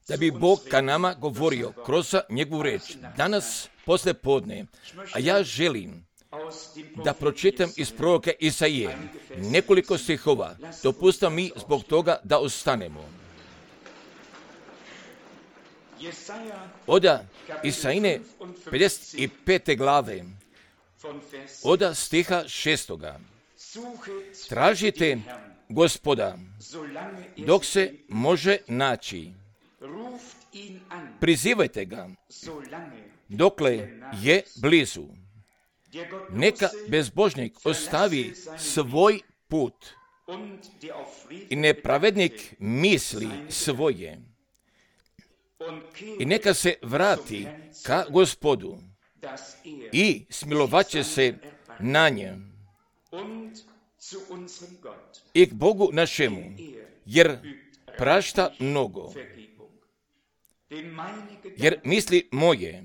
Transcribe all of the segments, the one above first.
da bi Bog ka nama govorio kroz njegovu reč danas posle podne, a ja želim da pročitam iz proroka Isaije nekoliko stihova. Dopustite mi zbog toga da ostanemo. Od Isaije 55. glave, od stiha 6. Tražite Gospoda dok se može naći. Prizivajte ga dokle je blizu. Neka bezbožnik ostavi svoj put i nepravednik misli svoje. I neka se vrati ka Gospodu i smilovaće se na njem i k Bogu našemu, jer prašta mnogo. Jer misli moje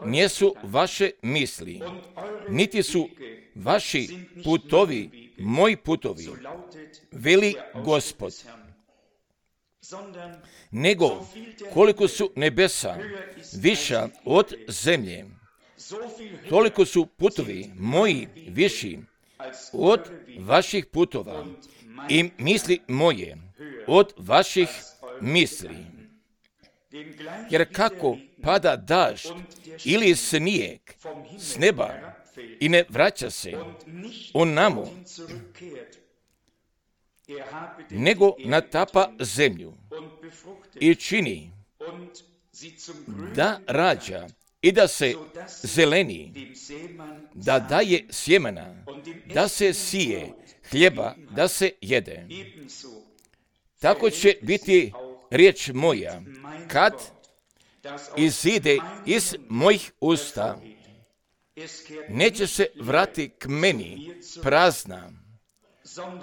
nisu vaše misli, niti su vaši putovi moji putovi, veli Gospod. Nego koliko su nebesa viša od zemlje, toliko su putovi moji viši od vaših putova i misli moje od vaših misli. Jer kako pada dažd ili snijeg s neba i ne vraća se onamo, nego natapa zemlju i čini da rađa i da se zeleni, da daje sjemena, da se sije, hljeba da se jede. Tako će biti riječ moja kad izide iz mojih usta, neće se vrati k meni prazna,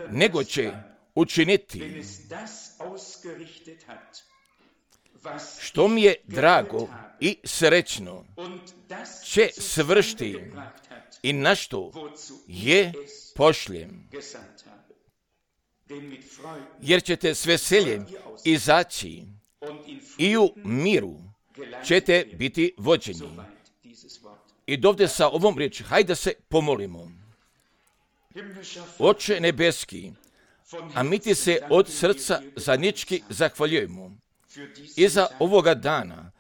nego će učiniti što mi je drago i srećno, će svršiti i na što je pošljem. Jer ćete s veseljem izaći i u miru ćete biti vođeni. I dovde sa ovom riječi, hajde se pomolimo. Oče nebeski, a mi ti se od srca zadnjički zahvaljujemo i za ovoga dana,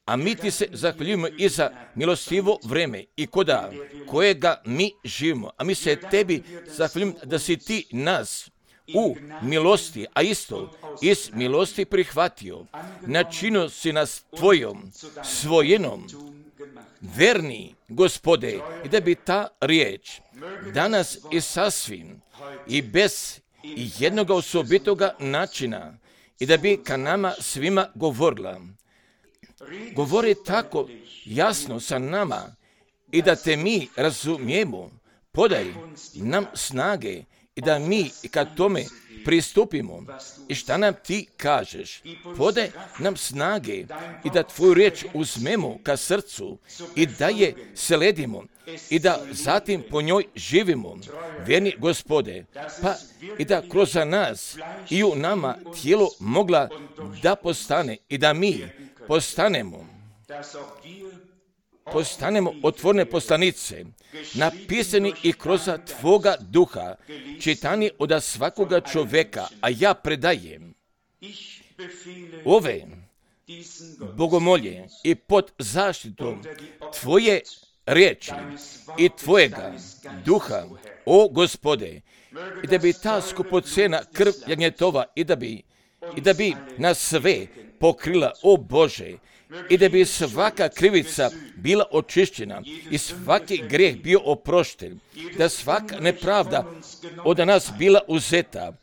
a mi ti se zahvaljujemo i za milostivo vreme i koda kojega mi živimo. A mi se tebi zahvaljujemo da si ti nas u milosti, a isto iz milosti prihvatio. Načinio si nas tvojom svojenom, verni Gospode, i da bi ta riječ danas i sasvim i bez jednog osobitoga načina i da bi ka nama svima govorila. Govori tako jasno sa nama i da te mi razumijemo. Podaj nam snage i da mi ka tome pristupimo. I šta nam ti kažeš? Podaj nam snage i da tvoju riječ uzmemo ka srcu i da je sledimo i da zatim po njoj živimo. Vjerni Gospode, pa i da kroz nas i u nama tijelo mogla da postane i da mi postanemo otvorene poslanice, napisani i kroz tvoga duha, čitani od svakoga čovjeka, a ja predajem ove bogomolje i pod zaštitom tvoje riječi i tvojega duha, o Gospode, i da bi ta skupocena krv jagnjetova i da bi nas sve pokrila, o Bože, i da bi svaka krivica bila očišćena i svaki grijeh bio oprošten, da svaka nepravda od nas bila uzeta,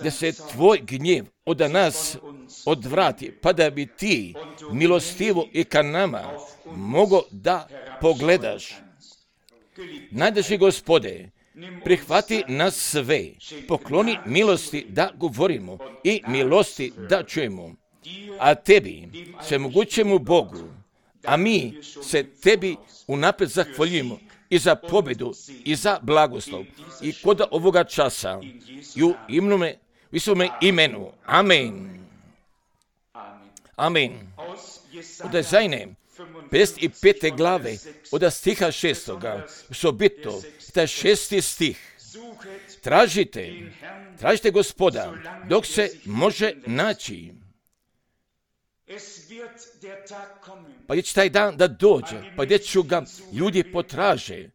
da se tvoj gnjev od nas odvrati, pa da bi ti milostivo i ka nama mogo da pogledaš. Najdraži Gospode, prihvati nas sve, pokloni milosti da govorimo i milosti da čujemo. A tebi, svemogućemu Bogu, a mi se tebi unaprijed zahvaljujemo i za pobjedu i za blagoslov i kod ovoga časa i u svome imenu. Amen. Amen. Od Jezajne 55. glave, od stiha 6. Osobito, taj 6. stih. Tražite Gospoda, dok se može naći. Pa gdje će taj dan da dođe, pa gdje ću ga ljudi potraže,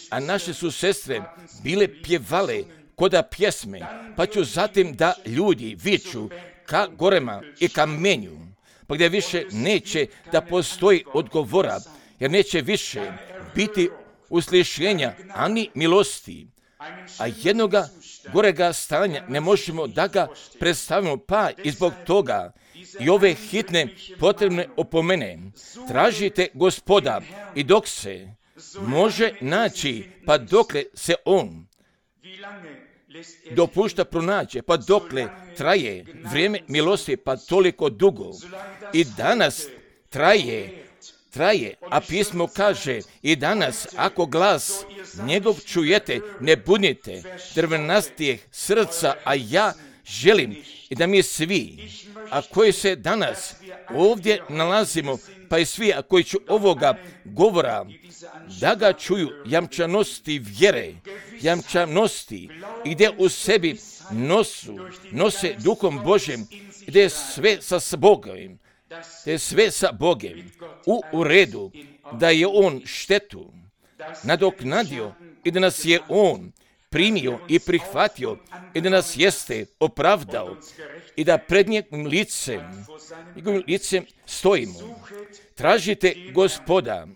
a naše su sestre bile pjevale koda pjesme, pa ću zatim da ljudi viču ka gorema i kamenju, pa gdje više neće da postoji odgovora, jer neće više biti uslišenja ani milosti, a jednoga gorega stanja ne možemo da ga predstavimo, pa i zbog toga i ove hitne potrebne opomene. Tražite Gospoda i dok se može naći, pa dokle se on dopušta pronađe, pa dokle traje vrijeme milosti, pa toliko dugo. I danas traje, a pismo kaže i danas, ako glas njegov čujete, ne budite drvenastijeg srca, a ja želim i da mi svi, a koji se danas ovdje nalazimo, pa i svi, a koji ću ovoga govora, da ga čuju jamčanosti vjere, jamčanosti, gdje u sebi nose Duhom Božjem, gdje je sve sa Bogom, gdje je sve sa Bogom u redu, da je on štetu nadoknadio i da nas je on primio i prihvatio i da nas jeste opravdao i da pred njegovim licem stojimo. Tražite Gospoda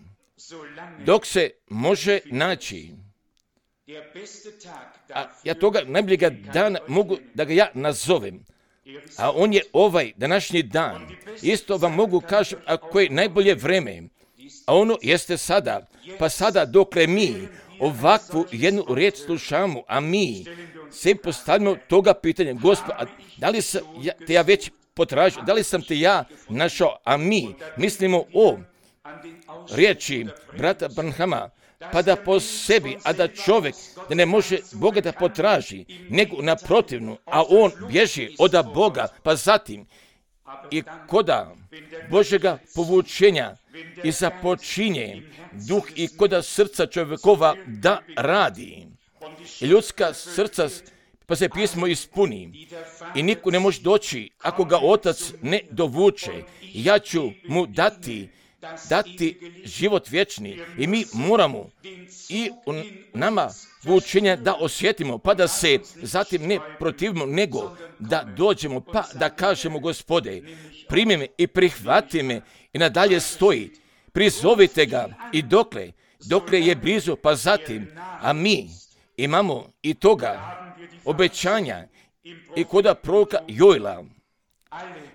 dok se može naći. A ja toga najboljega dana mogu da ga ja nazovem, a on je ovaj današnji dan. Isto vam mogu kažem ako je najbolje vreme, a ono jeste sada, pa sada dokle mi ovakvu jednu riječ slušamo, a mi se postavimo toga pitanja, Gospod, da li sam te ja već potražio, da li sam te ja našao, a mi mislimo o riječi brata Branhama, pa da po sebi, a da čovjek da ne može Boga da potraži, nego naprotivno, a on bježi od Boga, pa zatim i koda Božega povučenja i započinje duh i koda srca čovjekova da radi. I ljudska srca pa se pismo ispuni i niko ne može doći ako ga Otac ne dovuče. Ja ću mu dati život vječni i mi moramo i u nama vučenja da osjetimo, pa da se zatim ne protivimo, nego da dođemo, pa da kažemo Gospode, primi me i prihvati me i nadalje stoji, prizovite ga i dokle je blizu, pa zatim, a mi imamo i toga obećanja i koda proroka Joela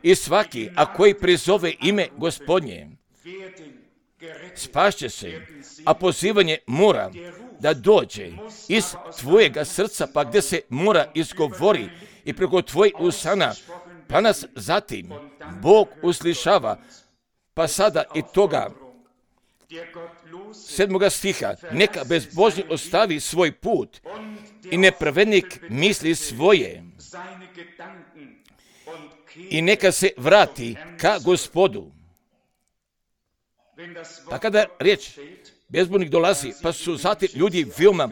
i svaki, a koji prizove ime Gospodnje, spašće se, a pozivanje mora da dođe iz tvojega srca, pa gdje se mora izgovori i preko tvojih usana, pa nas zatim Bog uslišava, pa sada i toga 7. stiha, neka bezbožni ostavi svoj put i nepravednik misli svoje i neka se vrati ka Gospodu. Pa kada riječ bezbožnik dolazi, pa su zatim ljudi veoma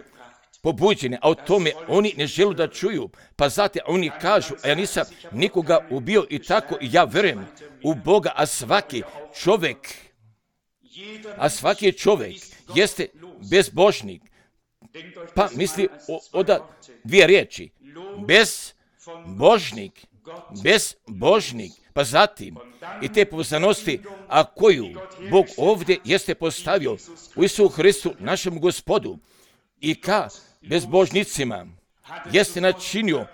pobuđeni, a o tome oni ne žele da čuju, pa zatim oni kažu, a ja nisam nikoga ubio i tako, i ja verujem u Boga, a svaki čovjek jeste bezbožnik. Pa misli od dvije riječi, bezbožnik, pa zatim i te povezanosti, a koju Bog ovdje jeste postavio u Isusu Hristu, našem Gospodu, i ka bezbožnicima jeste načinio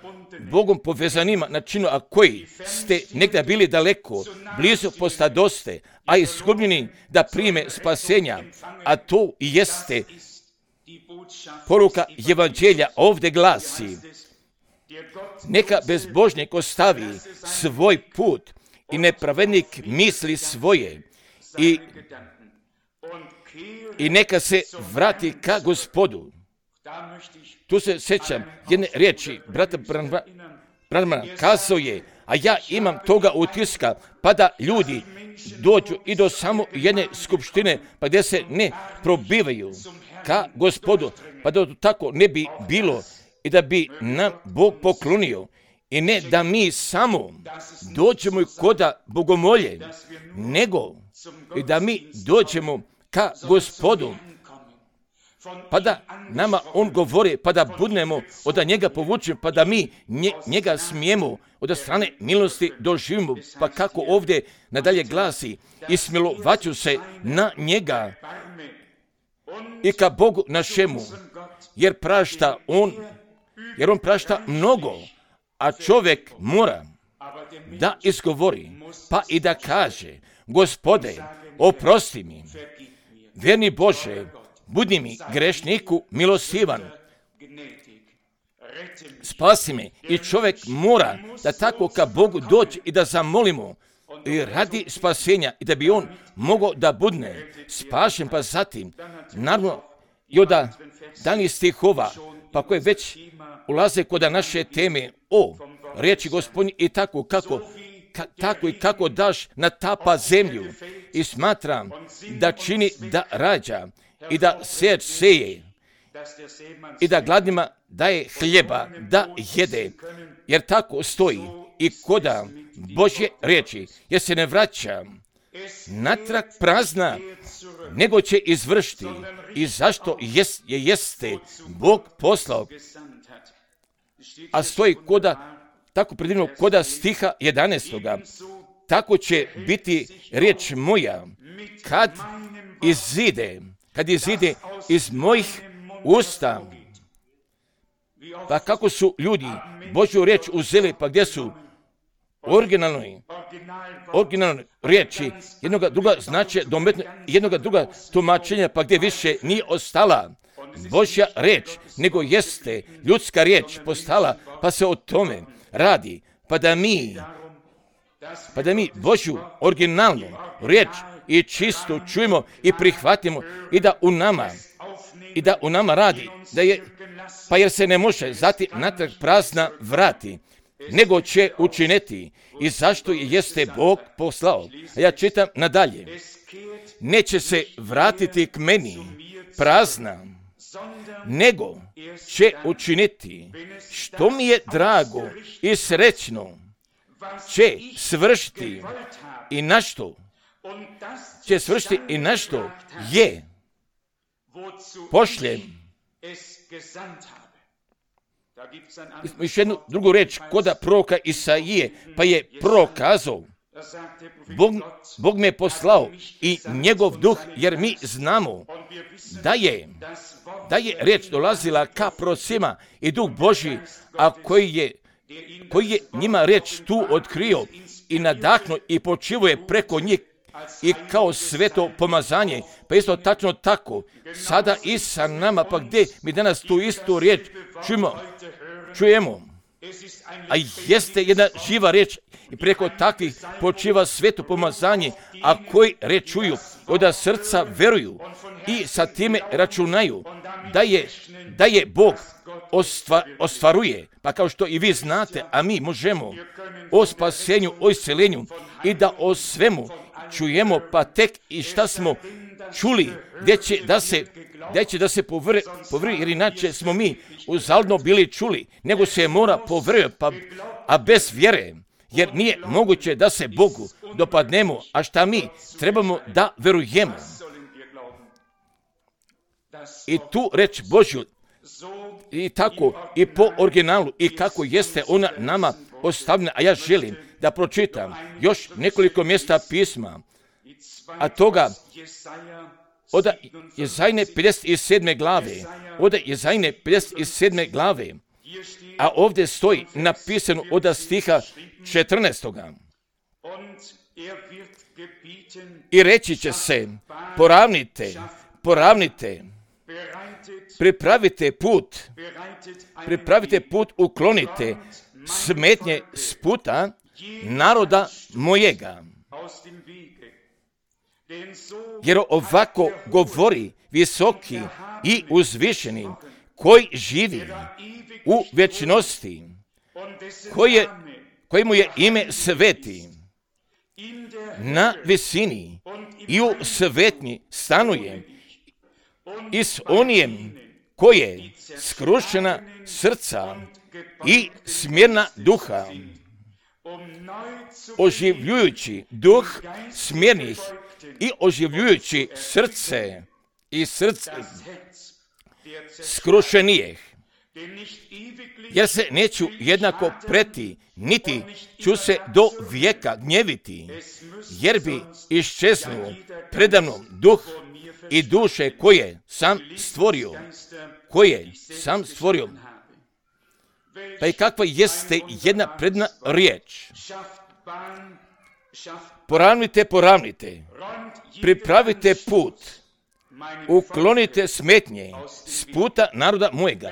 Bogom povezanima, načinio, a koji ste negdje bili daleko, blizu postadoste, a izgubljeni da prime spasenja, a to i jeste poruka evanđelja, ovdje glasi, neka bezbožnik ostavi svoj put i nepravednik misli svoje i neka se vrati ka Gospodu. Tu se sjećam jedne riječi, brata Branhama kazao je, A ja imam toga utiska, pa da ljudi dođu i do samo jedne skupštine, pa gdje se ne probivaju ka Gospodu, pa da tako ne bi bilo i da bi nam Bog poklonio. I ne da mi samo dođemo koda bogomolje, nego i da mi dođemo ka Gospodu, pa da nama on govori, pa da budemo od njega povučeni, pa da mi njega smijemo od strane milosti doživimo. Pa kako ovdje nadalje glasi, i smilovaću se na njega i ka Bogu našemu, jer on prašta mnogo, a čovjek mora da izgovori, pa i da kaže, Gospode, oprosti mi, vjerni Bože, budi mi grešniku milostivan, spasi me. I čovjek mora da tako ka Bogu doći i da zamolimo i radi spasenja i da bi on mogao da budne spašen. Pa zatim, naravno, i od danih stihova, pa koje već ulaze kod naše teme o riječi Gospodnje i tako kako daš natapa zemlju i smatram da čini da rađa i da sejač seje i da gladnima daje hljeba da jede, jer tako stoji i koda Božje riječi, jer se ne vraća natrag prazna, nego će izvršiti i zašto jeste Bog poslao. A stoji tako predivno koda stiha 11. Tako će biti riječ moja kad izide iz mojih usta. Pa kako su ljudi Božju riječ uzeli, pa gdje su originalnoj riječi jednoga druga značaja dometno, jednoga druga tumačenja, pa gdje više nije ostala Božja riječ, nego jeste ljudska riječ postala, pa se o tome radi, pa da mi Božju originalnu riječ i čisto čujemo i prihvatimo i da u nama radi, pa jer se ne može zati natrag prazna vrati, nego će učiniti i zašto jeste Bog poslao. A ja čitam nadalje, neće se vratiti k meni prazna, nego će učiniti što mi je drago i srećno, će svršiti i na što je pošljem. Još jednu drugu reč koda proroka Isaije, pa je prorok kazao, Bog me je poslao i njegov duh, jer mi znamo da je riječ dolazila ka prorocima i duh Božji, a koji je njima riječ tu otkrio i nadahnuo i počivuje preko njih i kao sveto pomazanje. Pa isto tačno tako, sada i sa nama, pa gdje mi danas tu istu riječ čujemo, a jeste jedna živa riječ i preko takvih počiva sveto pomazanje, a koji riječ čuju, od srca veruju i sa time računaju da je Bog ostvaruje, pa kao što i vi znate, a mi možemo o spasenju, o isceljenju i da o svemu čujemo, pa tek i šta smo čuli, gdje će da se povrvi, jer inače smo mi uzaludno bili čuli, nego se mora povrvi, a bez vjere, jer nije moguće da se Bogu dopadnemo, a šta mi trebamo da verujemo. I tu reč Božju, i tako, i po originalu, i kako jeste ona nama ostavljena, a ja želim da pročitam još nekoliko mjesta pisma, a toga od Jezajne 57. glave, a ovdje stoji napisano od stiha 14. I reći će se, poravnite, pripravite put, uklonite smetnje s puta naroda mojega. Jer ovako govori visoki i uzvišeni, koji živi u vječnosti, kojemu je ime sveti, na visini i u svetnji stanuje i s onijem koje skrušena srca i smjerna duha, oživljujući duh smjernih i oživljujući srce i srce skrušenijeh. Jer se neću jednako preti, niti ću se do vijeka gnjeviti, jer bi iščeznuo predamnom duh i duše koje sam stvorio. Pa i kakva jeste jedna predna riječ? Poravnite, pripravite put, uklonite smetnje s puta naroda mojega.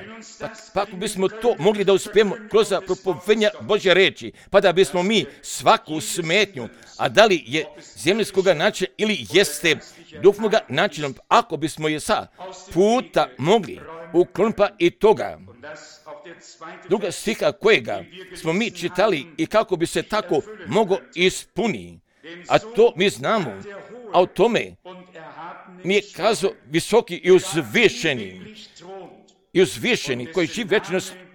Pa ako bismo to mogli da uspijemo kroz propovedanja Božje reči, pa da bismo mi svaku smetnju, a da li je zemljskoga načina ili jeste duhovnoga načina, ako bismo je sa puta mogli ukloniti i toga druga stiha kojega smo mi čitali i kako bi se tako mogo ispuni, a to mi znamo, a o tome mi je kazao visoki i uzvišeni koji živi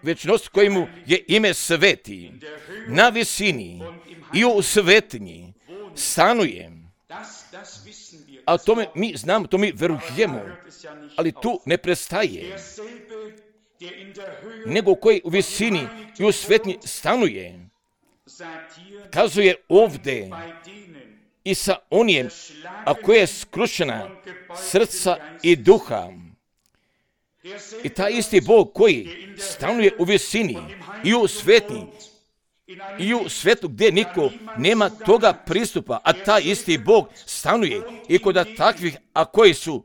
večnost kojemu je ime sveti, na visini i u svetnji stanuje. A o tome mi znamo, to mi verujemo, ali tu ne prestaje, nego koji u visini i u svetnji stanuje. Kazuje ovdje i sa onijem, a koje je skrušena srca i duha. I taj isti Bog koji stanuje u visini i u svetnji i u svetu gdje niko nema toga pristupa, a taj isti Bog stanuje i kod takvih, a koji su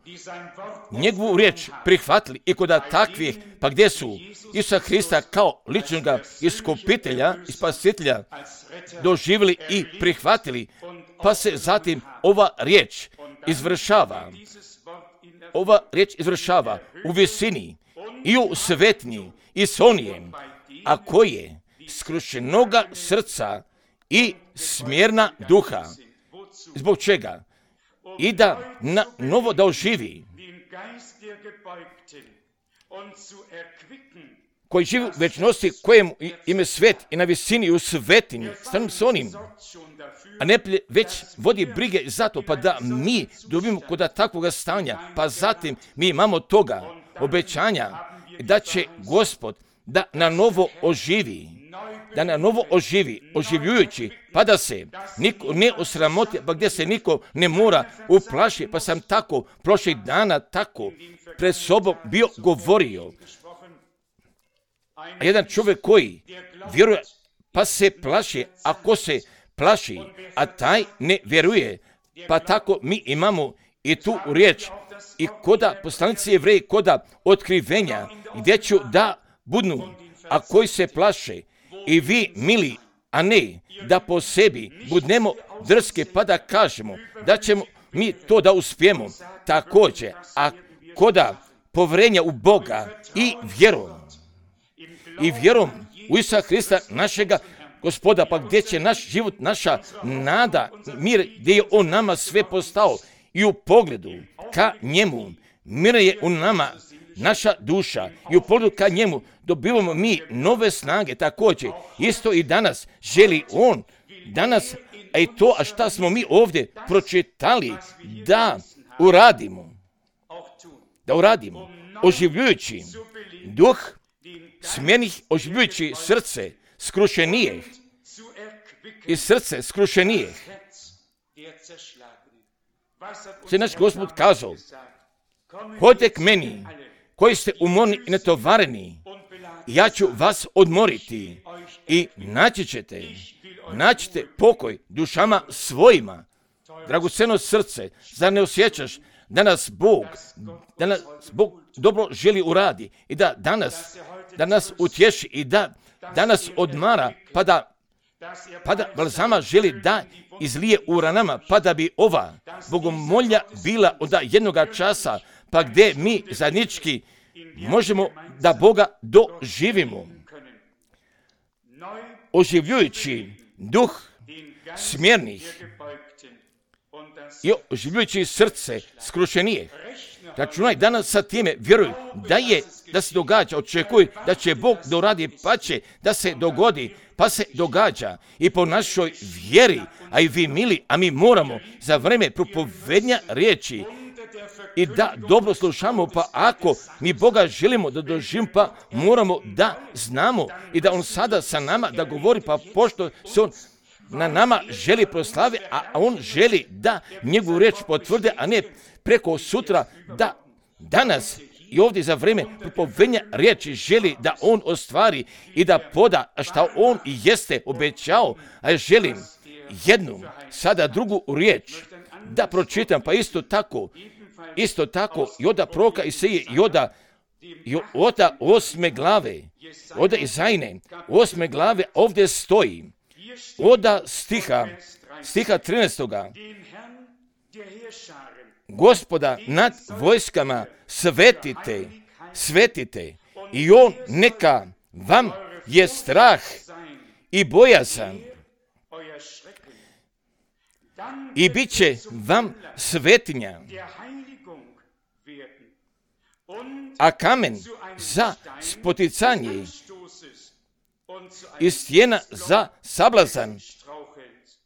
njegovu riječ prihvatili i kod takvih, pa gdje su Isusa Hrista kao ličnoga iskupitelja i spasitelja doživjeli i prihvatili, pa se zatim ova riječ izvršava u visini i u svetnji i s onijem, a koje skrušenoga srca i smjerna duha. Zbog čega? I da na novo da oživi, koji živi u večnosti, kojemu ime svet i na visini i u svetinji, stanom s onim, a ne već vodi brige za to, pa da mi dobimo kod takvoga stanja, pa zatim mi imamo toga obećanja da će Gospod da na novo oživi, oživljujući, pa da se niko ne osramoti, pa gdje se niko ne mora uplaši, pa sam tako prošlih dana tako pred sobom bio govorio. A jedan čovjek koji vjeruje, pa se plaši, ako se plaši, a taj ne vjeruje, pa tako mi imamo i tu riječ i koda poslanici Jevreji, koda otkrivenja, gdje ću da budnu, a koji se plaše, i vi mili, a ne da po sebi budnemo drske, pa da kažemo da ćemo mi to da uspijemo. Također, a koda povjerenja u Boga i vjerom u Isusa Hrista našega Gospoda, pa gdje će naš život, naša nada, mir, gdje je On nama sve postao i u pogledu ka njemu, mir je u nama, naša duša, i u pogledu ka njemu dobivamo mi nove snage. Također, isto i danas želi On, danas, a i to, a šta smo mi ovdje pročitali, da uradimo, oživljujući duh smjernih, oživljujući srce skrušenijeh i srce skrušenijeh. Se naš Gospod kazao, hodite k meni, koji ste umorni i netovareni, ja ću vas odmoriti i naći ćete pokoj dušama svojima. Dragoceno srce, zar ne osjećaš da nas Bog dobro želi uradi i da danas utješi i da danas odmara, pa da balzama želi da izlije u ranama, pa da bi ova bogomolja bila od jednoga časa, pa gdje mi zajednički možemo da Boga doživimo. oživljujući duh smjernih i oživljujući srce skrušenije. Računaj danas sa time, vjeruj da se događa, očekuj da će Bog doradi, pa će da se dogodi, pa se događa i po našoj vjeri, a i vi mili, a mi moramo za vreme propovednja riječi i da dobro slušamo, pa ako mi Boga želimo da doživimo, pa moramo da znamo i da On sada sa nama da govori, pa pošto se On na nama želi proslavi, a On želi da njegovu riječ potvrde, a ne preko sutra, da danas i ovdje za vrijeme propovednja riječi želi da On ostvari i da poda šta On i jeste obećao, a ja želim jednu, sada drugu riječ da pročitam, pa isto tako i od proroka Isaije i od 8. glave, od Izajne 8. glave ovdje stoji, od stiha 13. Gospoda nad vojskama svetite i On neka vam je strah i bojazan i bit će vam svetinja, a kamen za spoticanje i stijena za sablazan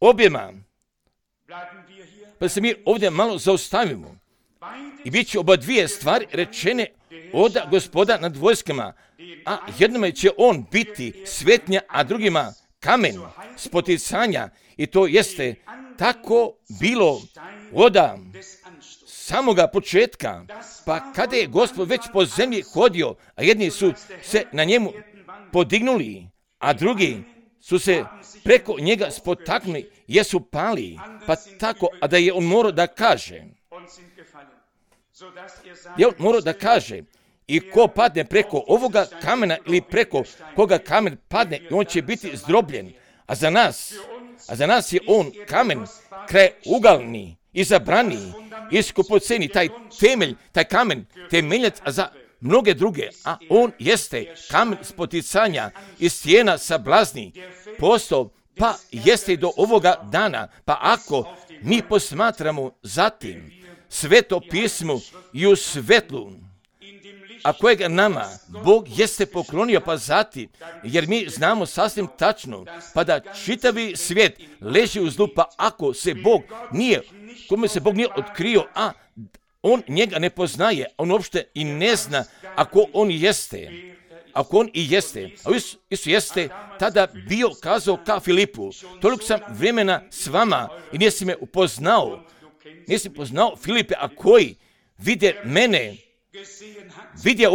objema. Pa se mi ovdje malo zaustavimo. I bit će oba dvije stvari rečene od Gospoda nad vojskama, a jednome će On biti svetnja, a drugima kamen spoticanja. I to jeste tako bilo od samoga početka, pa kada je Gospod već po zemlji hodio, a jedni su se na njemu podignuli, a drugi su se preko njega spotaknuli, jesu pali, pa tako, a da je On morao da kaže, i ko padne preko ovoga kamena ili preko koga kamen padne, on će biti zdrobljen, a za nas je On kamen krajeugalni, izabrani, iskupoceni, taj temelj, taj kamen, temeljac za mnoge druge, a On jeste kamen spoticanja i stijena sablazni, postao, pa jeste i do ovoga dana, pa ako mi posmatramo zatim Sveto pismo i u svetlu, a kojega nama Bog jeste poklonio, pa zatim, jer mi znamo sasvim tačno, pa da čitavi svijet leži u zlu, pa ako se kome se Bog nije otkrio, a on njega ne poznaje, on uopšte i ne zna ako on i jeste, a Isus jeste tada bio kazao ka Filipu, toliko sam vremena s vama i nisi me upoznao, Filipe, a koji vide mene, vide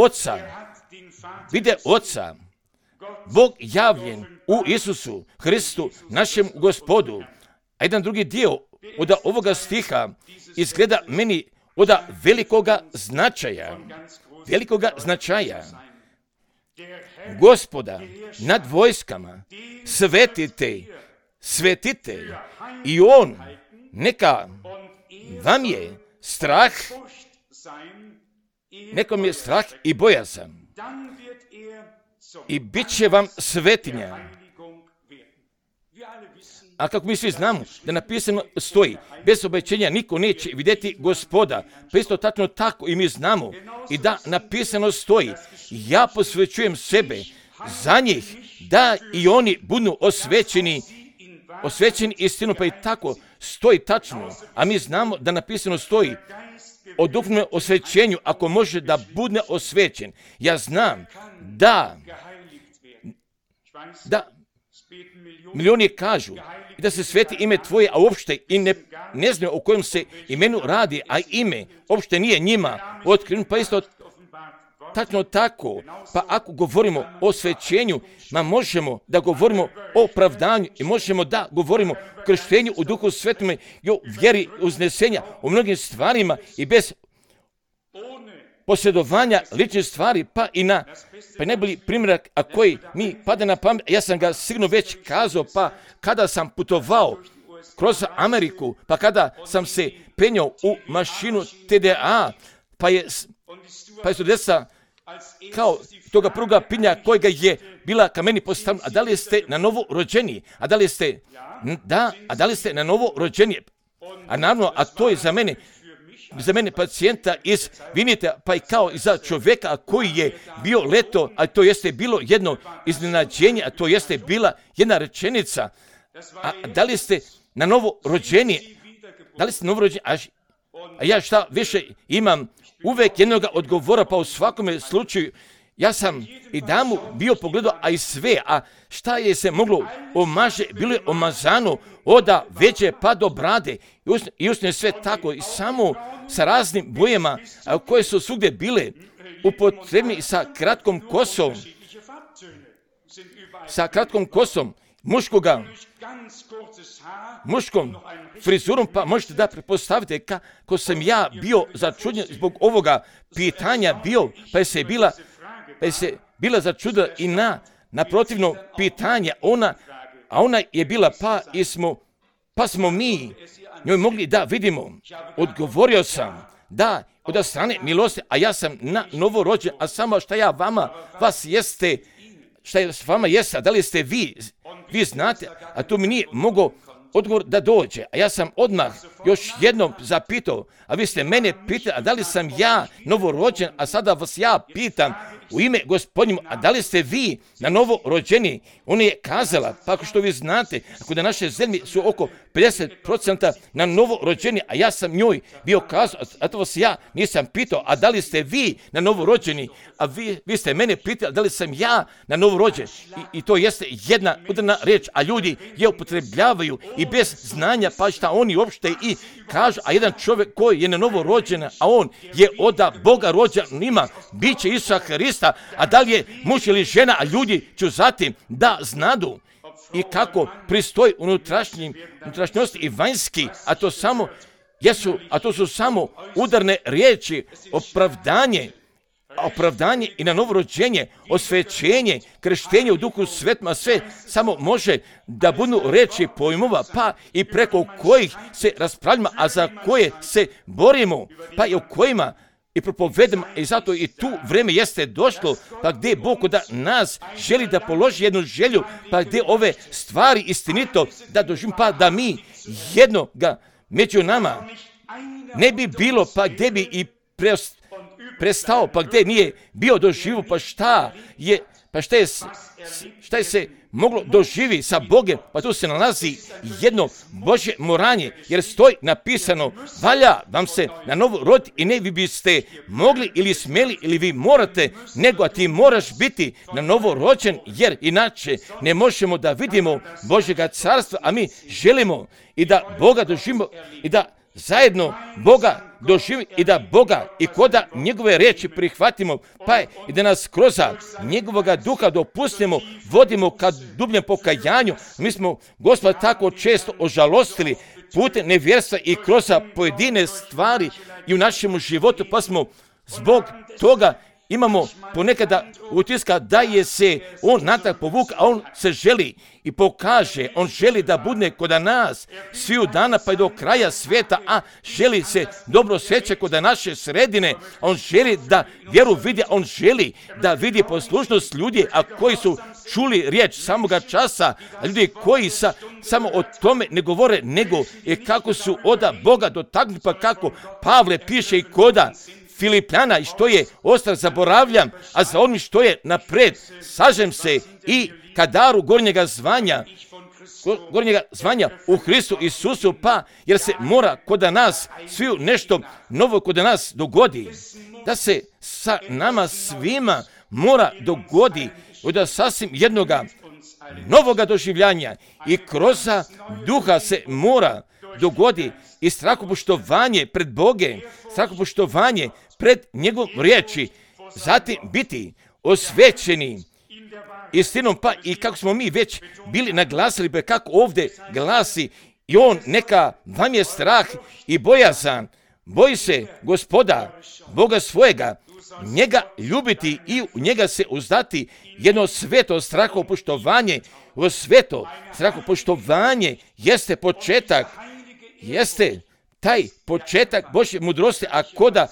Oca, Bog javljen u Isusu Hristu, našem Gospodu. A jedan drugi dio od ovoga stiha izgleda meni od velikoga značaja. Gospoda nad vojskama svetite i On neka vam je strah, nekom je strah i bojazan i bit će vam svetinja. A kako mi svi znamo da napisano stoji, bez obećenja niko neće vidjeti Gospoda, pa isto tačno tako i mi znamo i da napisano stoji, ja posvećujem sebe za njih, da i oni budu osvećeni istinu, pa i tako stoji tačno, a mi znamo da napisano stoji o duhovnom osvećenju, ako može da bude osvećen. Ja znam da milioni kažu da se sveti ime Tvoje, a uopšte i ne znaju o kojem se imenu radi, a ime uopšte nije njima otkriven, pa isto tačno tako. Pa ako govorimo o osvećenju, možemo da govorimo o opravdanju i možemo da govorimo o krštenju u Duhu Svetome i o vjeri uznesenja, o mnogim stvarima i bez posjedovanja ličnih stvari, pa najbolji primjerak, a koji mi pada na pamet, ja sam ga sigurno već kazao, pa kada sam putovao kroz Ameriku, pa kada sam se penjao u mašinu TDA, pa je stewardesa kao toga prvoga pitanja kojega je bila ka meni postavljena, a da li ste na novo rođeni? A da li ste, da li ste na novo rođeni? A naravno, a to je za mene pacijenta iz Vinita, pa i kao i za čovjeka koji je bio leto, a to jeste bilo jedno iznenađenje, a to jeste bila jedna rečenica. A da li ste na novo rođeni? Da li ste novo rođeni? A ja šta više imam uvek jednog odgovora, pa u svakome slučaju ja sam i damu bio pogledao, a i sve, a šta je se moglo omaže, bilo je omazano oda veće pa do brade i usne sve tako i samo sa raznim bojama koje su svugdje bile upotrebni sa kratkom kosom, muškom frizurom, pa možete da pretpostavite kako sam ja bio začuđen zbog ovoga pitanja bio, pa je se bila začudila i na protivno pitanje, ona je bila pa smo mi njoj mogli da vidimo. Odgovorio sam da od strane milosti, a ja sam na novorođen, a samo šta ja vas jeste, šta je s vama jeste, a da li ste vi znate, a tu mi nije mogao odgovor da dođe. A ja sam odmah još jednom zapitao, a vi ste mene pitali, a da li sam ja novorođen, a sada vas ja pitam u ime Gospodnjemu, a da li ste vi na novo rođeni? Ona je kazala, pa ako što vi znate, ako da naše zemlje su oko 50% na novo rođeni, a ja sam njoj bio kazao, a to vas ja nisam pitao, a da li ste vi na novo rođeni? A vi ste mene pitali, a da li sam ja na novo rođen? I to jeste jedna udarna reč, a ljudi je upotrebljavaju i bez znanja, pa šta oni uopšte i kažu, a jedan čovjek koji je na novo rođen, a on je od Boga rođen, ima biće Isusa Hrista, a da li je muž ili žena, a ljudi ću zatim da znadu i kako pristoji unutrašnjosti i vanjski, a to su samo udarne riječi, opravdanje i na novorođenje, osvećenje, krštenje u Duhu Svetom, a sve samo može da budu reči pojmova, pa i preko kojih se raspravljamo, a za koje se borimo, pa i o kojima i propovedamo, i zato i tu vreme jeste došlo, pa gdje Bog da nas želi da položi jednu želju, pa gdje ove stvari istinito da doživimo, pa da mi jednoga među nama ne bi bilo, pa gdje bi i prestao, pa gdje nije bio doživu, pa šta je se moglo doživi sa Bogem, pa tu se nalazi jedno Božje moranje, jer stoji napisano, valja vam se na novo roditi i ne vi biste mogli ili smjeli ili vi morate, nego a ti moraš biti na novo rođen, jer inače ne možemo da vidimo Božjega carstva, a mi želimo i da Boga doživimo i da zajedno Boga doživimo i da Boga i koda njegove riječi prihvatimo, pa i da nas kroz njegovoga duha dopustimo, vodimo ka dubljem pokajanju. Mi smo Gospoda tako često ožalostili putem nevjerstva i kroz pojedine stvari i u našem životu, pa smo zbog toga imamo ponekada utiska da je se on natrag povuk, a on se želi i pokaže, on želi da bude kod nas sviju dana pa i do kraja svijeta, a želi se dobro sjeća kod naše sredine, on želi da vjeru vidi, on želi da vidi poslušnost ljudi, a koji su čuli riječ samoga časa, a ljudi koji samo o tome ne govore, nego je kako su od Boga dotaknuti, pa kako Pavle piše i koda Filipljana i što je ostrah zaboravljam, a za onim što je napred sažem se i ka daru gornjega zvanja u Hristu Isusu, pa jer se mora kod nas sviju nešto novo kod nas dogodi, da se sa nama svima mora dogodi od sasvim jednoga novoga doživljanja i kroz duha se mora dogodi i strahopoštovanje pred Bogem, strahopoštovanje pred njegovom riječi, zatim biti osvećeni istinom, pa i kako smo mi već bili naglasili, pa kako ovdje glasi, i on neka vam je strah i bojazan, boji se Gospoda, Boga svojega, njega ljubiti i u njega se uzdati, jedno sveto strahopoštovanje, sveto strahopoštovanje jeste početak, jeste taj početak Božje mudrosti, a koda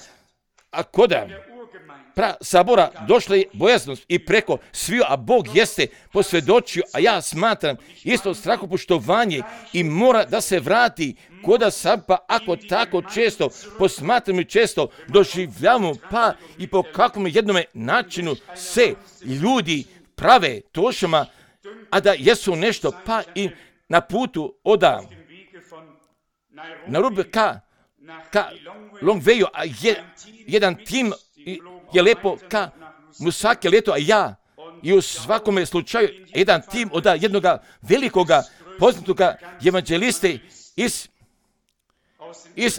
sabora došla je bojaznost i preko sviju, a Bog jeste posvjedočio, a ja smatram isto strahopoštovanje i mora da se vrati koda sam, pa ako tako često posmatramo i često doživljavamo, pa i po kakvom jednome načinu se ljudi prave tošama, a da jesu nešto, pa i na putu oda na rubu ka Longveju, a jedan tim je lepo ka mu svake leto, a ja i u svakome slučaju jedan tim od jednoga velikoga poznatoga evanđeliste iz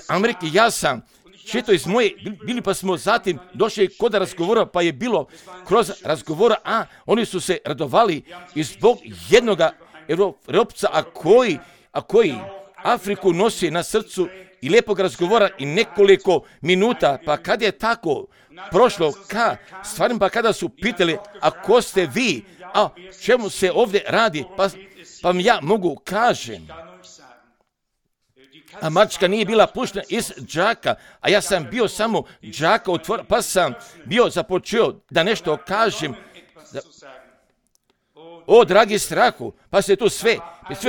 Amerike. Ja sam čito iz moje, bili pa smo zatim došli kod razgovora, pa je bilo kroz razgovora, a oni su se radovali i zbog jednoga Europca, a koji Afriku nosi na srcu i lijepog razgovora i nekoliko minuta, pa kad je tako prošlo stvarno, pa kada su pitali, a ko ste vi, a čemu se ovdje radi, pa ja mogu kažem, a mačka nije bila puštena iz džaka, a ja sam bio samo džaka otvorio, pa sam bio započeo da nešto kažem. O, dragi strahu, pa se tu sve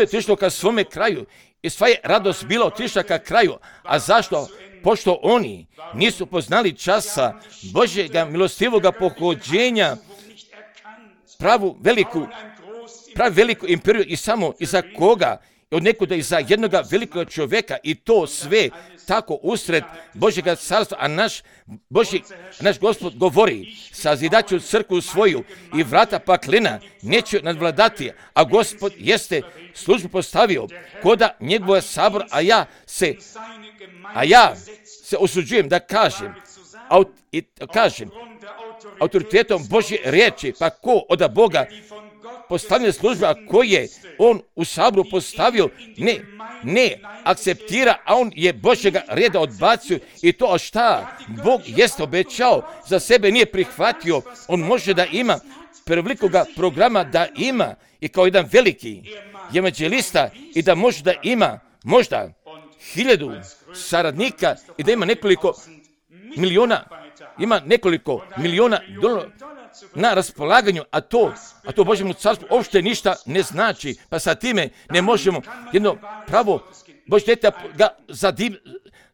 otišlo ka svome kraju i sva je radost bila otišla ka kraju. A zašto? Pošto oni nisu poznali časa Božjega milostivoga pohođenja, pravu veliku imperiju i samo iza koga, od nekuda iza jednoga velikog čovjeka, i to sve tako usred Božjega carstva, a naš Gospod govori, sazidat ću crkvu svoju i vrata paklena neće nadvladati, a Gospod jeste službu postavio koda njegova sabor, a ja se usuđujem da kažem autoritetom Božje riječi, pa ko od Boga postavljena služba koje je on u saboru postavio, ne akceptira, a on je Božjega reda odbacio, i to šta Bog jeste obećao za sebe nije prihvatio. On može da ima prevelikoga programa, da ima i kao jedan veliki evanđelista i da može da ima možda 1000 saradnika i da ima nekoliko miliona dolara na raspolaganju, a to Božjemu carstvu uopšte ništa ne znači, pa sa time ne možemo jedno pravo Božje dijete ga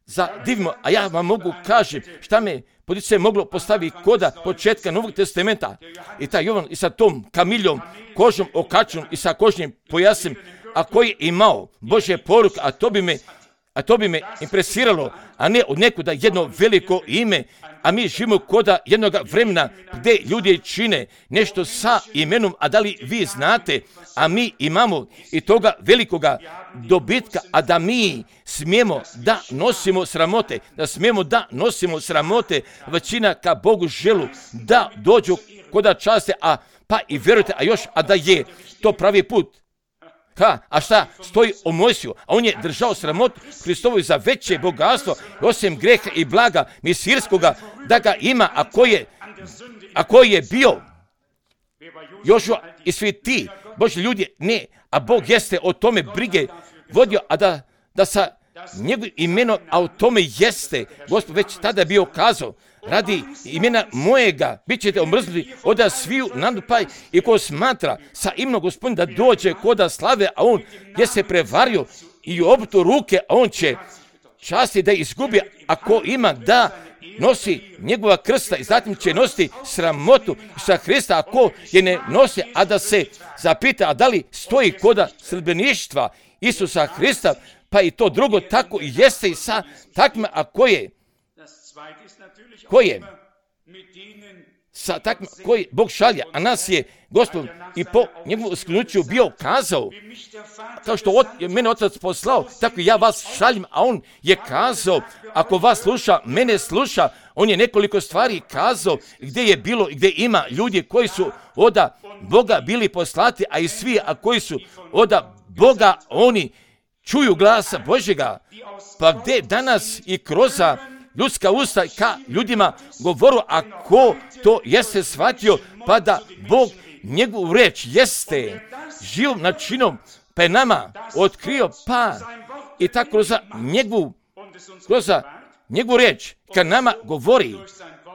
zadivimo, a ja vam mogu kažem šta me se moglo postaviti koda početka Novog testamenta, i taj Jovan i sa tom kamiljom, kožom okačenom i sa kožnim pojasem, a koji je imao Božje poruke, a to bi me impresiralo, a ne od nekuda jedno veliko ime, a mi živimo koda jednoga vremena gdje ljudi čine nešto sa imenom, a da li vi znate, a mi imamo i toga velikoga dobitka, a da mi smijemo da nosimo sramote, većina ka Bogu želu da dođu koda časte, pa i vjerujte, a da je to pravi put. A šta stoji o Mojsiju? A on je držao sramotu Hristovu za veće bogatstvo, osim greha i blaga misirskoga, da ga ima, a koji je bio Jošua i svi ti Božji ljudi, ne, a Bog jeste o tome brige vodio, a da sa njegovim imenom, a o tome jeste Gospod već tada bio kazao, radi imena mojega bit ćete omrznuti od sviju nadupaj, i ko smatra sa imenom Gospodina da dođe koda slave, a on je se prevario i obrtu ruke, a on će časti da izgubi, ako ima da nosi njegova krsta, i zatim će nositi sramotu sa Hrista, ako je ne nosi, a da se zapita, a da li stoji koda sledbeništva Isusa Hrista, pa i to drugo tako i jeste i sa takvima, a koje koji Bog šalje, a nas je Gospod i po njegovom usknuću bio kazao, kao što je mene Otac poslao, tako i ja vas šaljem, a on je kazao, ako vas sluša, mene sluša. On je nekoliko stvari kazao gdje je bilo i gdje ima ljudi koji su od Boga bili poslati, a i svi, a koji su od Boga, oni čuju glasa Božjega, pa gdje danas i kroz ljudska usta ka ljudima govoru, a ko to jeste shvatio, pa da Bog njegovu reč jeste živom načinom, pa je nama otkrio, pa i tako kroz njegovu reč ka nama govori,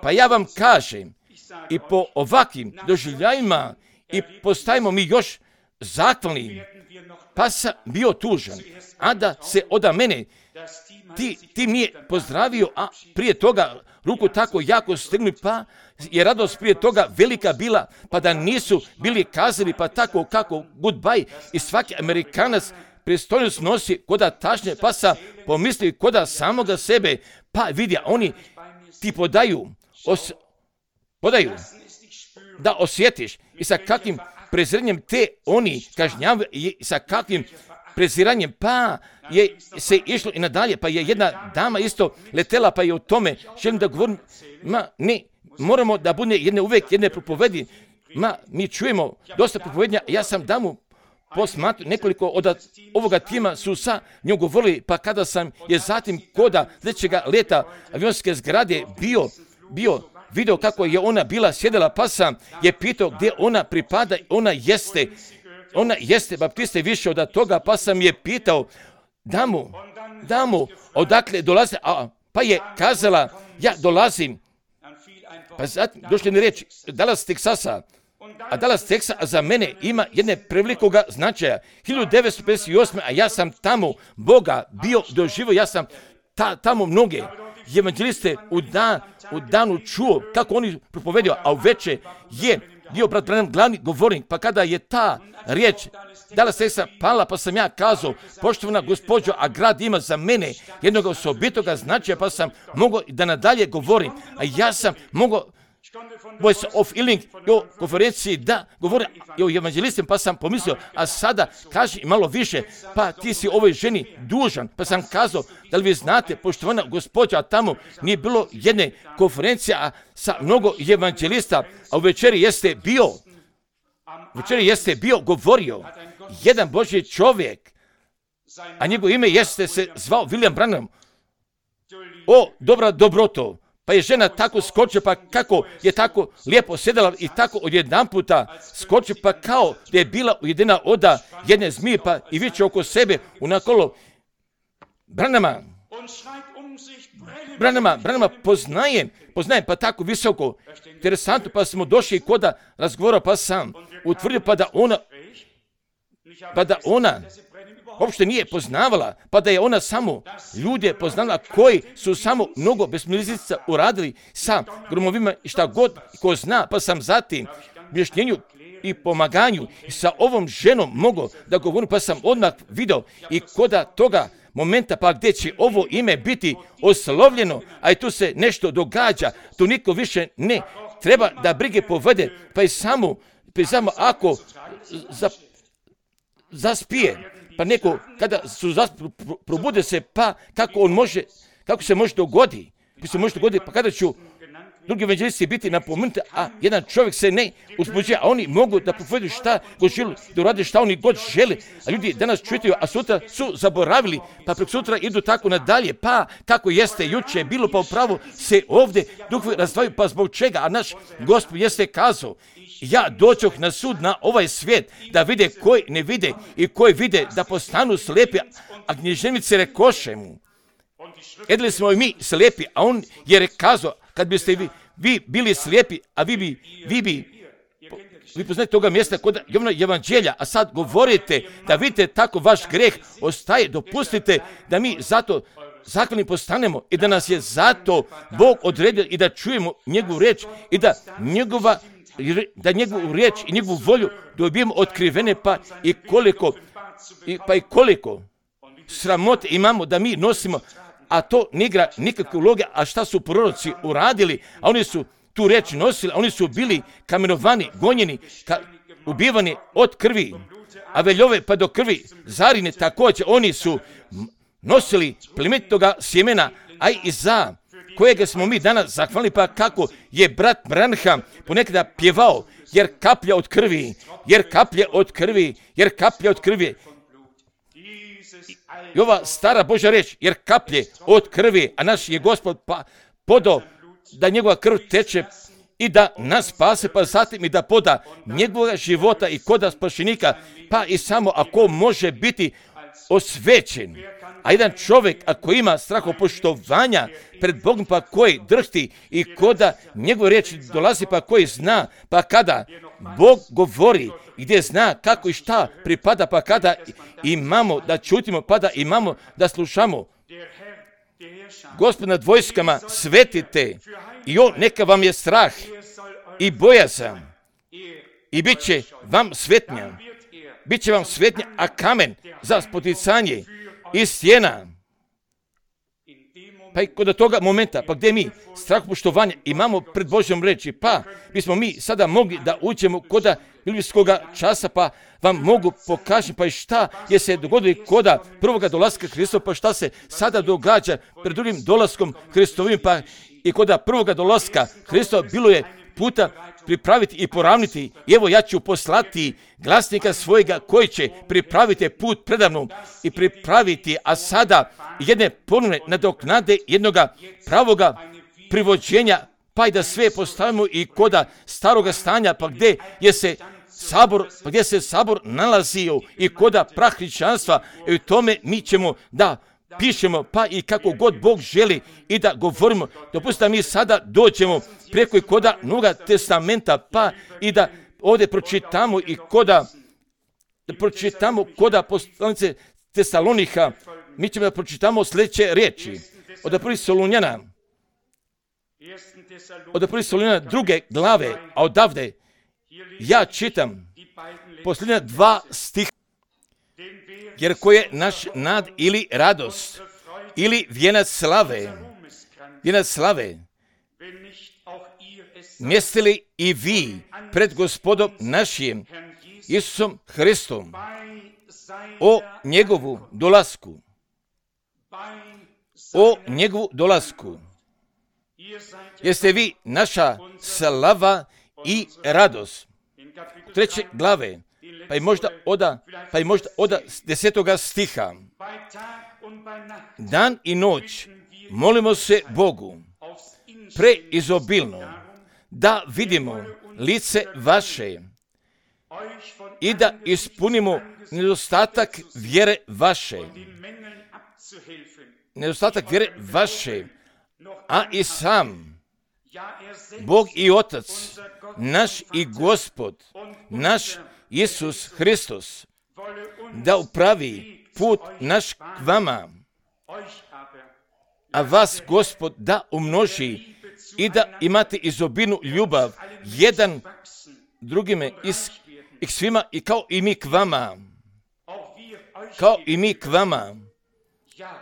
Pa ja vam kažem, i po ovakvim doživljajima i postajemo mi još zahvalni, pa sam bio tužan, a da se od mene ti nije pozdravio, a prije toga ruku tako jako strgnuli, pa je radost prije toga velika bila, pa da nisu bili kazali, pa tako kako goodbye, i svaki Amerikanac pristojnost nosi koda tašnje, pa sam pomislio koda samoga sebe, pa vidi, oni ti podaju da osjetiš i sa kakvim preziranjem te oni kažnjavaju i sa kakvim preziranjem, pa je se išlo i nadalje, pa je jedna dama isto letela, pa je o tome želim da govorim, ne, moramo da bude uvijek jedne propovedi, mi čujemo dosta propovednja, ja sam damu posmatru, nekoliko od ovoga tima su sa njom govorili, pa kada sam je zatim koda sljedećega leta avionske zgrade bio video kako je ona bila sjedela, pa sam je pitao gdje ona pripada, ona jeste baptiste više od toga, pa sam je pitao damu, odakle dolaze, pa je kazala, ja dolazim, pa zatim došli mi reći, Dallas, Teksasa, a Dallas, Texas za mene ima jedne prevelikoga značaja. 1958. a ja sam tamo Boga bio doživio, ja sam tamo mnoge evanđeliste u danu čuo kako oni propovedio, a uveče je bio brat Branham glavni govornik, pa kada je ta riječ Dallas, Texas pala, pa sam ja kazao, poštovana gospođo, a grad ima za mene jednog osobitoga značaja, pa sam mogao da nadalje govorim, a ja sam mogao Voice of Healing o konferenciji da govore o evanđelistima, pa sam pomislio, a sada kaži malo više, pa ti si ovoj ženi dužan, pa sam kazao, da li vi znate, poštovana gospođa, a tamo nije bilo jedne konferencije sa mnogo evanđelista, a u večeri jeste bio govorio jedan Božji čovjek, a njegovo ime jeste se zvao William Branham. O, dobra dobroto. Pa je žena tako skočila, pa kako je tako lijepo sjedala i tako odjedanputa skočila, pa kao da je bila ujedina oda jedne zmije, pa i viče oko sebe unakolo Branhama poznajem, pa tako visoko, interesantno, pa smo došli koda razgovora, pa sam utvrdio, pa da ona uopšte nije poznavala, pa da je ona samo ljude poznala koji su samo mnogo besmislica uradili sa gromovima i šta god ko zna, pa sam zatim objašnjenju i pomaganju i sa ovom ženom mogao da govorim, pa sam odmah video i koda toga momenta, pa gdje će ovo ime biti oslovljeno, a i tu se nešto događa, tu niko više ne treba da brige povede, pa i samo ako zaspije, pa neko, kada probude se, pa kako se može dogoditi, pa kada ću drugi evanđelisti biti napomenuti, a jedan čovjek se ne uzbuđuje, a oni mogu da povedu šta god žele, da urade šta oni god žele, a ljudi danas čitaju, a sutra su zaboravili, pa prek sutra idu tako nadalje, pa kako jeste juče bilo, pa upravo se ovdje duhovi razdvaju, pa zbog čega, a naš Gospod jeste kazao, ja dođoh na sud na ovaj svijet, da vide koji ne vide i koji vide da postanu slijepi, a književnici rekoše mu, edili smo i mi slijepi, a on je kazao, kad biste vi bili slijepi, a vi poznate toga mjesta kod evanđelja, a sad govorite da vidite tako vaš greh ostaje, dopustite da mi zato zahvalni postanemo i da nas je zato Bog odredio i da čujemo njegovu riječ i da njegovu riječ i njegovu volju dobijemo otkrivene, pa i koliko sramote imamo da mi nosimo, a to ne igra nikakve uloge, a šta su proroci uradili, a oni su tu riječ nosili, a oni su bili kamenovani, gonjeni, ubivani od krvi, a veljove pa do krvi, zarine također, oni su nosili plemenitoga sjemena, a i za kojega smo mi danas zahvalni, pa kako je brat Branham ponekada pjevao, jer kaplja od krvi, i ova stara Božja riječ, jer kaplje od krvi, a naš je Gospod pa podao da njegova krv teče i da nas spase, pa zatim i da poda njegova života i koda spašenika, pa i samo ako može biti osvećen. A jedan čovjek, ako ima strahopoštovanja pred Bogom, pa koji drhti i koda njegove riječi dolazi, pa koji zna, pa kada Bog govori, gdje zna kako i šta pripada, pa kada imamo da čutimo, pa da imamo da slušamo. Gospod nad vojskama, svetite i on neka vam je strah i bojazan i bit će vam svetnja. Bit će vam svetnja, a kamen za spoticanje i stijena. Pa i kod toga momenta, pa gdje mi strahopoštovanja imamo pred Božjom reči, pa bismo mi sada mogli da uđemo koda biblijskoga časa, pa vam mogu pokažem, pa i šta je se dogodilo koda prvoga dolaska Hristova, pa šta se sada događa pred drugim dolaskom Hristovim, pa i koda prvoga dolaska Hristova bilo je puta pripraviti i poravniti. I evo ja ću poslati glasnika svojega koji će pripraviti put predavnom i pripraviti, a sada jedne ponovne nadoknade jednoga pravoga privođenja, pa i da sve postavimo i koda staroga stanja, pa gdje se sabor nalazio i koda prah hrišćanstva, i u tome mi ćemo da pišemo, pa i kako god Bog želi i da govorimo. Dopustite da mi sada dođemo preko i koda Novoga testamenta, pa i da ovdje pročitamo i koda poslanice Tesalonika, mi ćemo da pročitamo sljedeće riječi. Od prvih Solunjana, druge glave, a odavde ja čitam posljednja 2 stiha. Jer ko je naš nad ili radost, ili vijenac slave, mjeste li i vi pred Gospodom našim Isusom Hristom o njegovu dolasku. Jeste vi naša slava i radost. 3. glave, pa i možda oda 10. stiha. Dan i noć molimo se Bogu preizobilno da vidimo lice vaše i da ispunimo nedostatak vjere vaše, a i sam Bog i Otac, naš i Gospod, naš Isus Hristos, da upravi put naš k vama, a vas Gospod da umnoži i da imate izobilnu ljubav jedan drugime i k svima i kao i mi k vama,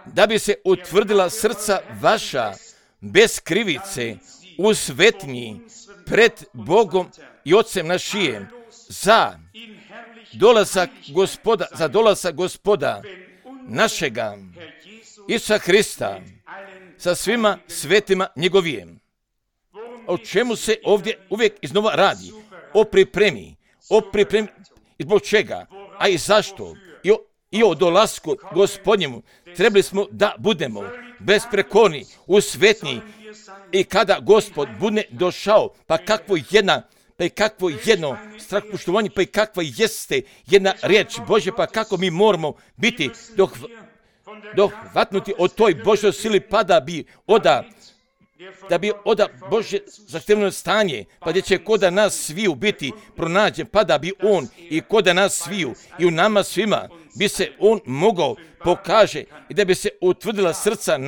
da bi se utvrdila srca vaša bez krivice u svetnji pred Bogom i Otcem našijem za dolazak Gospoda našega Isusa Hrista sa svima svetima njegovijem. O čemu se ovdje uvijek iznova radi? O pripremi. I zbog čega? A i zašto? I o dolasku Gospodnjemu trebali smo da budemo besprekorni u svetnji i kada Gospod bude došao, pa kakvo jedno strahopoštovanje, pa i kakva jeste jedna riječ Božja, pa kako mi moramo biti dohvatnuti od toj Božoj sili, pa da bi oda Božje zahtevno stanje, pa gdje će koda nas sviju biti pronađen, pa da bi on i koda nas sviju i u nama svima bi se on mogao pokaže i da bi se utvrdila srca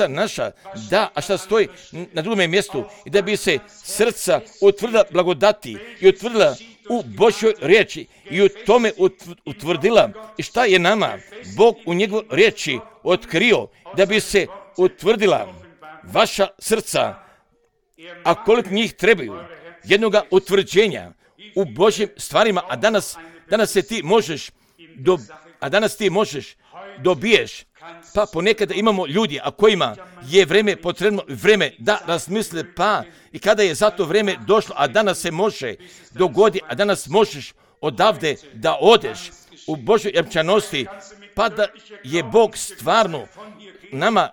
naša, da, a šta stoji na drugome mjestu, i da bi se srca utvrdila blagodati i utvrdila u Božjoj riječi i u tome utvrdila i šta je nama Bog u njegovoj riječi otkrio, da bi se utvrdila vaša srca, a koliko njih trebaju jednoga utvrđenja u Božjim stvarima, a danas ti možeš dobiješ. Pa ponekada imamo ljudi, a kojima je potrebno vreme da razmisle, pa i kada je za to vreme došlo, a danas se može dogoditi, a danas možeš odavde da odeš u Božoj jamčanosti, pa da je Bog stvarno nama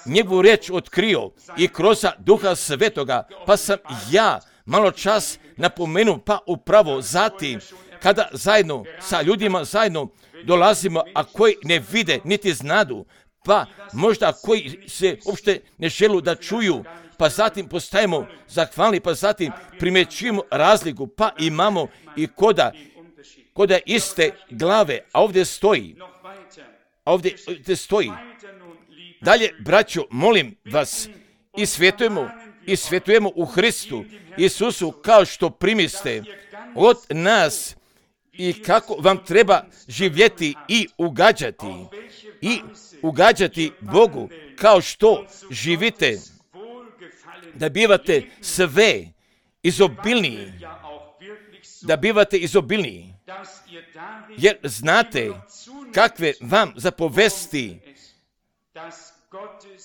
njegovu riječ otkrio i kroz Duha Svetoga, pa sam ja malo čas napomenuo, pa upravo zatim kada zajedno sa ljudima zajedno dolazimo, a koji ne vide niti znadu, pa možda koji se uopšte ne žele da čuju, pa zatim postajemo zahvalni, pa zatim primjećujemo razliku, pa imamo i koda iste glave, a ovdje stoji. Dalje, braćo, molim vas, i svjetujemo u Hristu Isusu kao što primiste od nas i kako vam treba živjeti i ugađati Bogu kao što živite, da bivate sve izobilniji, jer znate kakve vam zapovesti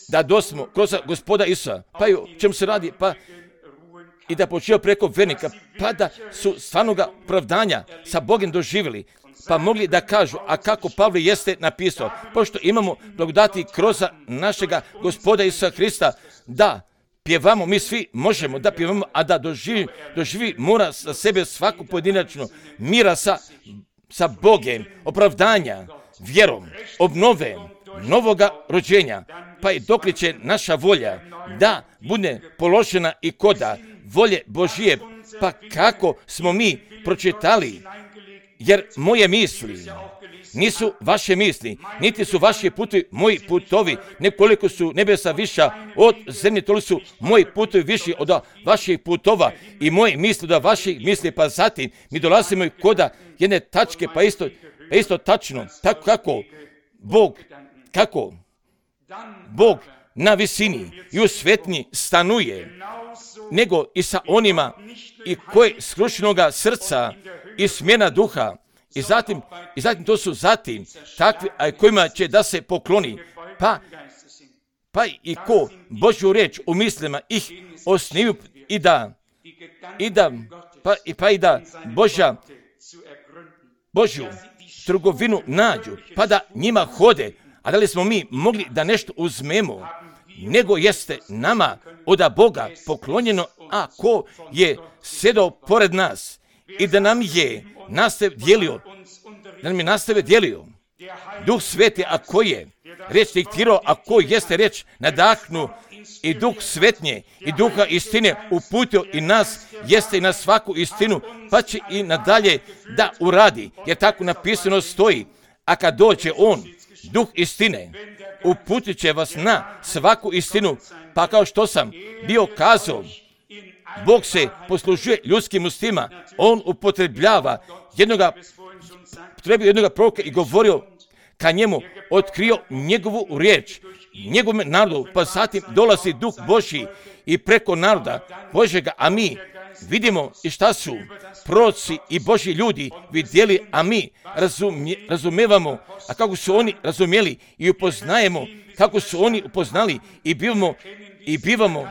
da dosmo kroz Gospoda Isusa, pa i o čemu se radi, pa i da počeo preko vernika, pa da su stvarnoga opravdanja sa Bogom doživjeli, pa mogli da kažu, a kako Pavle jeste napisao, pošto imamo blagodati kroz našega Gospoda Isusa Hrista, da pjevamo, mi svi možemo da pjevamo, a da doživi mora sa sebe svaku pojedinačno mira sa Bogem, opravdanja, vjerom, obnove, novoga rođenja, pa i dok li će naša volja da bude položena i koda volje Božije, pa kako smo mi pročitali, jer moje misli nisu vaše misli, niti su vaši putovi moji putovi, nekoliko su nebesa viša od zemlje, toliko su moji putovi viši od vaših putova i moje misli od vaših misli, pa zatim mi dolazimo i koda jedne tačke, pa isto tačno, tako kako Bog na visini i u svetnji stanuje, nego i sa onima i koji skrušenoga srca i smjena duha, i zatim to su takvi, a kojima će da se pokloni, pa i ko Božju riječ u mislima ih osniju i da Božju trgovinu nađu, pa da njima hode. A da li smo mi mogli da nešto uzmemo, nego jeste nama od Boga poklonjeno, a ko je sjedao pored nas i da nam je nastave dijelio Duh Sveti, a ko je reč diktirao, a ko jeste reč nadahnu i Duh Svetnje i Duha istine uputio i nas, jeste i na svaku istinu, pa će i nadalje da uradi, jer tako napisano stoji, a kad dođe On, Duh istine, uputit će vas na svaku istinu, pa kao što sam bio kazao, Bog se poslužuje ljudskim ustima, On upotrebljava jednoga proroka i govorio ka njemu, otkrio njegovu riječ, njegovom narodu, pa zatim dolazi Duh Božji i preko naroda Božjega, a mi vidimo i šta su proroci i Božji ljudi vidjeli, a mi razumevamo, a kako su oni razumjeli i upoznajemo, kako su oni upoznali i bivamo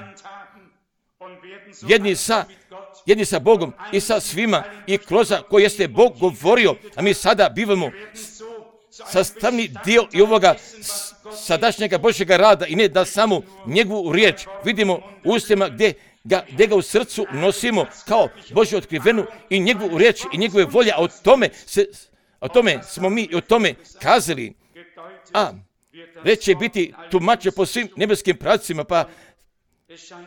jedni sa Bogom i sa svima i kroz koji jeste Bog govorio, a mi sada bivamo sastavni dio i ovoga sadašnjega Božjega rada i ne da samo njegovu riječ vidimo u ustima gdje ga u srcu nosimo kao Božju otkrivenu i njegovu riječ i njegove volje, a o tome smo mi i o tome kazali. A već će biti tumače po svim nebeskim pravcima,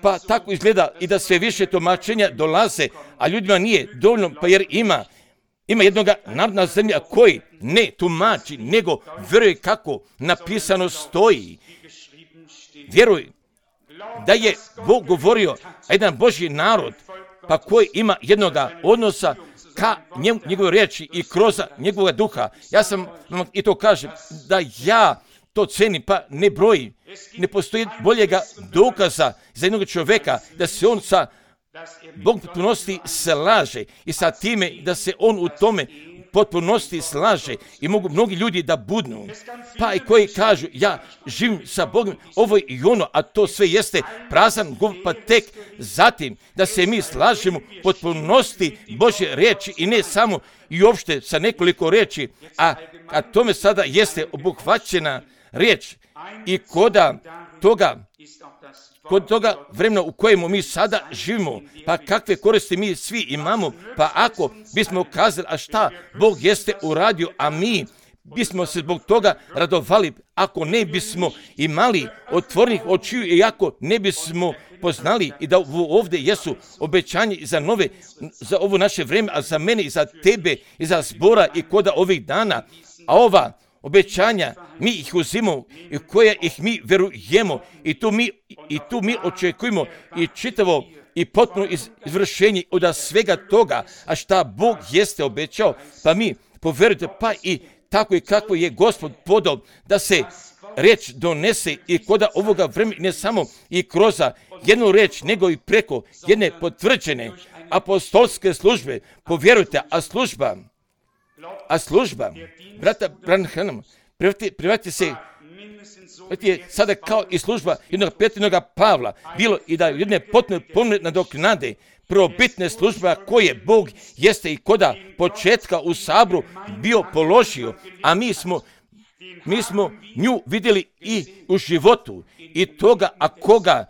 pa tako izgleda i da sve više tumačenja dolaze, a ljudima nije dovoljno, pa jer ima jednoga narodna zemlja koji ne tumači, nego vjeruje kako napisano stoji. Vjeruj da je Bog govorio, a jedan Božji narod, pa koji ima jednoga odnosa ka njegove riječi i kroz njegovog duha. Ja sam vam i to kažem, da ja to cenim, pa ne broji. Ne postoji boljega dokaza za jednog čovjeka da se on sa Bog potpunosti slaže i sa time da se on u tome potpunosti slaže i mogu mnogi ljudi da budnu, pa i koji kažu ja živim sa Bogom ovo i ono, a to sve jeste prazan govor, pa tek zatim da se mi slažemo potpunosti Božje riječi i ne samo i uopšte sa nekoliko riječi, a tome sada jeste obuhvaćena riječ i koda toga vremena u kojemu mi sada živimo, pa kakve koristi mi svi imamo, pa ako bismo kazali, a šta Bog jeste uradio, a mi bismo se zbog toga radovali, ako ne bismo imali otvorenih očiju i ako ne bismo poznali i da ovdje jesu obećanje za ovo naše vrijeme, a za mene i za tebe i za zbora i koda ovih dana, a ova obećanja mi ih uzimamo i koja ih mi verujemo i tu mi očekujemo i čitavo i potpuno izvršenje od svega toga, a šta Bog jeste obećao, pa mi poverujte, pa i tako i kako je Gospod podao da se riječ donese i koda ovoga vremena, ne samo i kroz jednu riječ, nego i preko jedne potvrđene apostolske službe. Povjerujte, a služba brata Branhama privati se sada kao i služba jednog Petrinoga Pavla, bilo i da jedne potpuno nadoknade prvobitne službe koje Bog jeste i koda početka u Sabru bio položio, a mi smo nju vidjeli i u životu i toga, a koga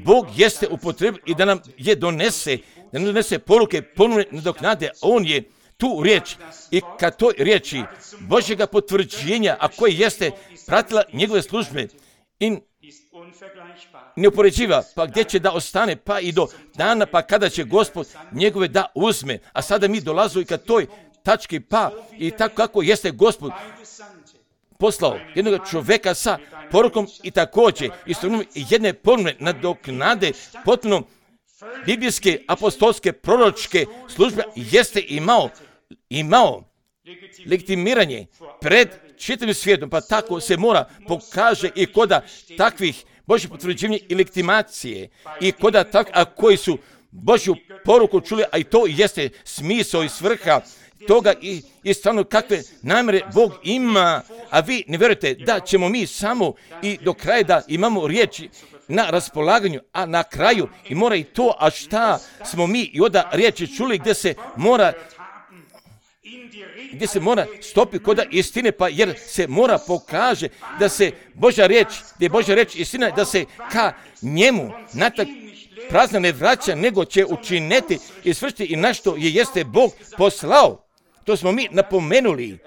Bog jeste upotrebio i da nam donese poruke ponovne nadoknade, on je tu riječ i kad toj riječi Božjega potvrđenja, a koje jeste pratila njegove službe i neupoređiva, pa gdje će da ostane, pa i do dana, pa kada će Gospod njegove da uzme. A sada mi dolazimo i kad toj tački, pa i tako kako jeste Gospod poslao jednog čovjeka sa porukom i također isto jedne ponovne nadoknade potpuno biblijske, apostolske, proročke službe jeste imao legitimiranje pred čitavim svijetom, pa tako se mora pokaže i koda takvih Božjih potvrđivanja i legitimacije i koda a koji su Božju poruku čuli, a i to jeste smisao i svrha toga i stvarno kakve namjere Bog ima, a vi ne vjerujete da ćemo mi samo i do kraja da imamo riječi na raspolaganju, a na kraju i mora i to, a šta smo mi i onda riječi čuli gdje se mora stopi koda istine, pa jer se mora pokaže da se Božja riječ istina, da se ka njemu natak prazna ne vraća, nego će učiniti i svršiti i na što jeste Bog poslao. To smo mi napomenuli.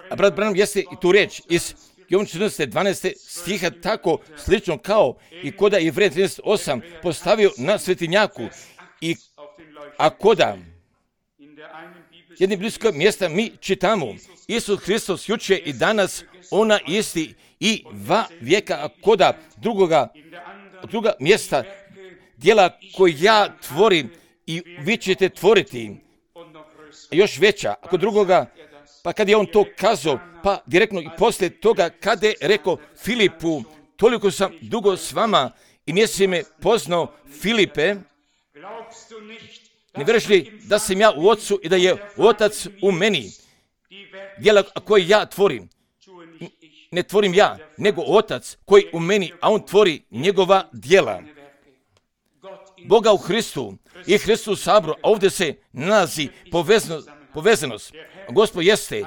A brat Branham jeste i tu riječ iz Jovan 14. stiha tako slično kao i koda je Jevreja 13.8 postavio na svetinjaku a koda jednim bliskog mjesta mi čitamo Isus Hristos jučer i danas ona isti i va vijeka, a koda druga mjesta djela koje ja tvorim i vi ćete tvoriti još veća. Ako drugoga, pa kad je on to kazao, pa direktno i poslije toga kada je rekao Filipu, toliko sam dugo s vama i nisi me poznao, Filipe, ne vjeruješ li da sam ja u Otcu i da je Otac u meni? Djela koje ja tvorim, ne tvorim ja, nego Otac koji u meni, a on tvori njegova djela. Boga u Hristu i Hristu u Sabru, a ovdje se nalazi povezanost. Gospod jeste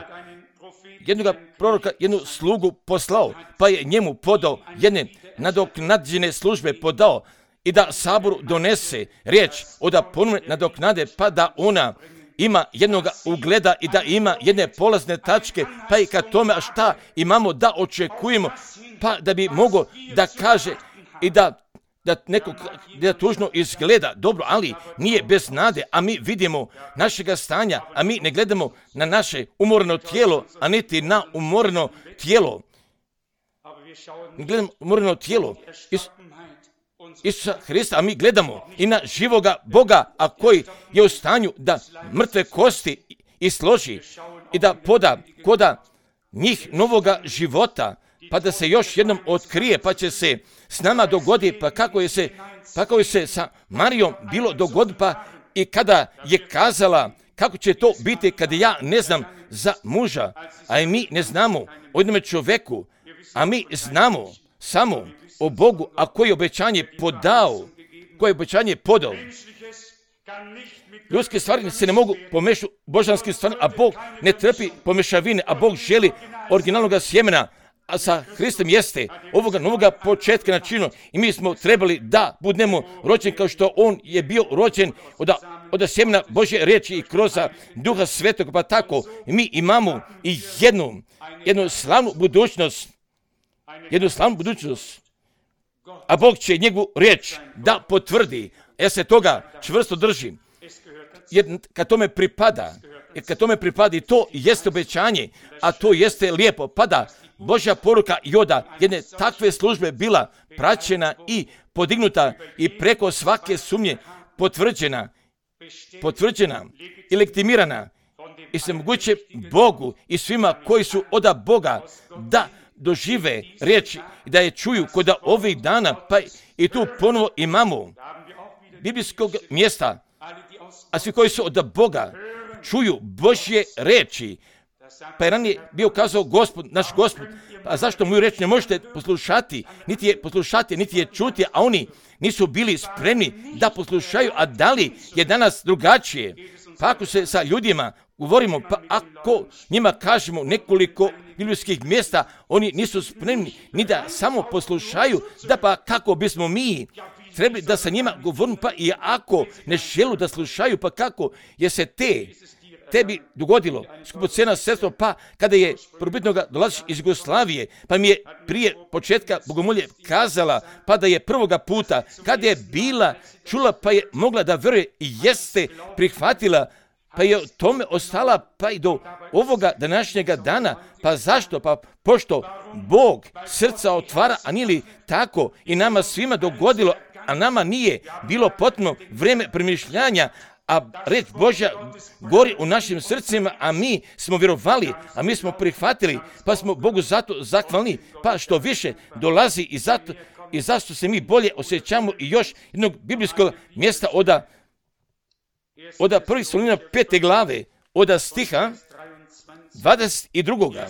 jednog proroka, jednu slugu poslao, pa je njemu podao jedne nadoknađene službe podao i da Saboru donese riječ od ponovne nadoknade, pa da ona ima jednog ugleda i da ima jedne polazne tačke, pa i kad tome, a šta imamo da očekujemo, pa da bi mogo da kaže i da neko da tužno izgleda dobro, ali nije bez nade, a mi vidimo našega stanja, a mi ne gledamo na naše umorno tijelo, a niti na umorno tijelo. Ne gledamo umorno tijelo Isusa Hrista, a mi gledamo i na živoga Boga, a koji je u stanju da mrtve kosti isloži i da poda koda njih novoga života, pa da se još jednom otkrije, pa će se s nama dogoditi, pa kako je se sa Marijom bilo dogoditi, pa i kada je kazala kako će to biti kada ja ne znam za muža, a i mi ne znamo o jednom čovjeku, a mi znamo samo o Bogu, a koji je obećanje podao. Ljudske stvari se ne mogu pomešati božanskim stvarima, a Bog ne trpi pomešavine, a Bog želi originalnog sjemena, a sa Hristom jeste ovoga novoga početka načinu i mi smo trebali da budemo rođeni kao što on je bio rođen od sjemena Božje riječi i kroz Duha Svetog, pa tako mi imamo i jednu slavnu budućnost, a Bog će njegovu riječ da potvrdi. Ja se toga čvrsto držim. Jer kad tome pripada i to jeste obećanje, a to jeste lijepo, pada Božja poruka i od jedne takve službe bila praćena i podignuta i preko svake sumnje potvrđena i legitimirana i se moguće Bogu i svima koji su od Boga da dožive riječ i da je čuju kod ovih dana, pa i tu ponovo imamo biblijskog mjesta, a svi koji su od Boga čuju Božje riječi. Pa je ranije bio kazao naš Gospod, a zašto moju riječ ne možete poslušati, niti je čuti, a oni nisu bili spremni da poslušaju, a da li je danas drugačije? Pa ako se sa ljudima govorimo, pa ako njima kažemo nekoliko biblijskih mjesta, oni nisu spremni ni da samo poslušaju, da pa kako bismo mi trebali da sa njima govorimo, pa i ako ne želu da slušaju, pa kako je se tebi dogodilo, skupocena sestro, pa kada je probitnoga dolaziš iz Jugoslavije, pa mi je prije početka bogomolje kazala, pa da je prvoga puta, kada je bila čula, pa je mogla da veruje i jeste prihvatila, pa je o tome ostala, pa i do ovoga današnjega dana. Pa zašto? Pa pošto Bog srca otvara, a nije li tako i nama svima dogodilo, a nama nije bilo potpuno vrijeme premišljanja, a reč Božja gori u našim srcima, a mi smo vjerovali, a mi smo prihvatili, pa smo Bogu zato zahvalni, pa što više dolazi i zašto se mi bolje osjećamo i još jednog biblijskog mjesta od 1. Solunjana 5. glave, od stiha 22.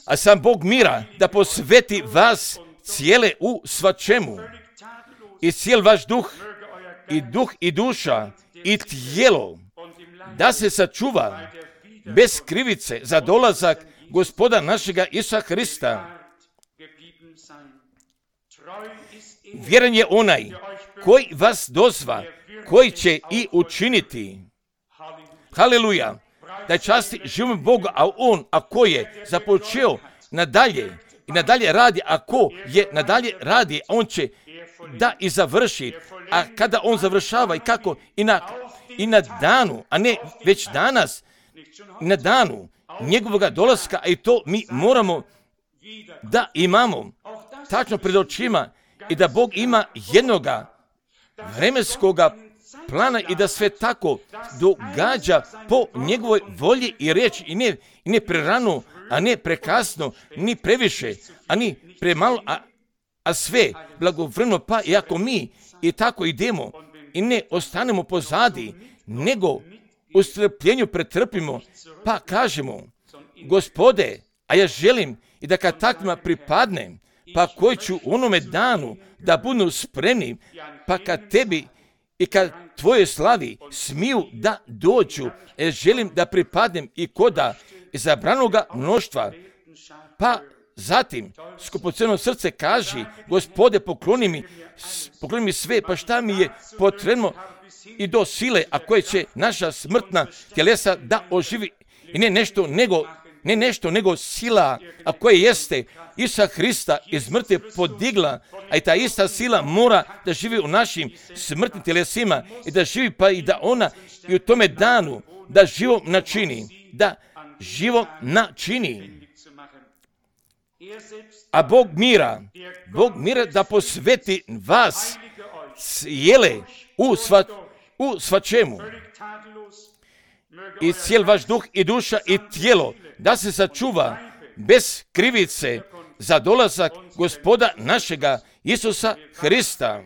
A sam Bog mira da posveti vas cijele u svačemu, i cijel vaš duh i duša i tijelo, da se sačuva bez krivice za dolazak Gospoda našega Isusa Hrista. Vjeran je onaj koji vas dozva, koji će i učiniti. Haleluja! Da časti živom Bogu, a on, ako je započeo nadalje radi, ako je nadalje radi, on će da i završi. A kada on završava i kako i na danu, a ne već danas, na danu njegovog dolaska, a i to mi moramo da imamo tačno pred očima i da Bog ima jednoga vremenskoga plana i da sve tako događa po njegovoj volji i riječi i ne prerano, a ne prekasno, ni previše, a ni premalo, a sve blagovremeno, pa i ako mi i tako idemo i ne ostanemo pozadi, nego u strpljenju pretrpimo, pa kažemo, Gospode, a ja želim i da kad takvima pripadnem, pa koji ću u onome danu da budu spremni, pa kad tebi i kad tvoje slavi smiju da dođu, želim da pripadnem i koda izabranoga mnoštva, pa zatim skupoceno srce kaži, Gospode, pokloni mi sve, pa šta mi je potrebno i do sile, a koje će naša smrtna tjelesa da oživi, i ne nešto nego sila, a koje jeste Isusa Hrista iz mrtve podigla, a i ta ista sila mora da živi u našim smrtnim tjelesima i da živi, pa i da ona i u tome danu da živo načini. A Bog mira da posveti vas cijele u svačemu i cijel vaš duh i duša i tijelo, da se sačuva bez krivice za dolazak Gospoda našega Isusa Hrista.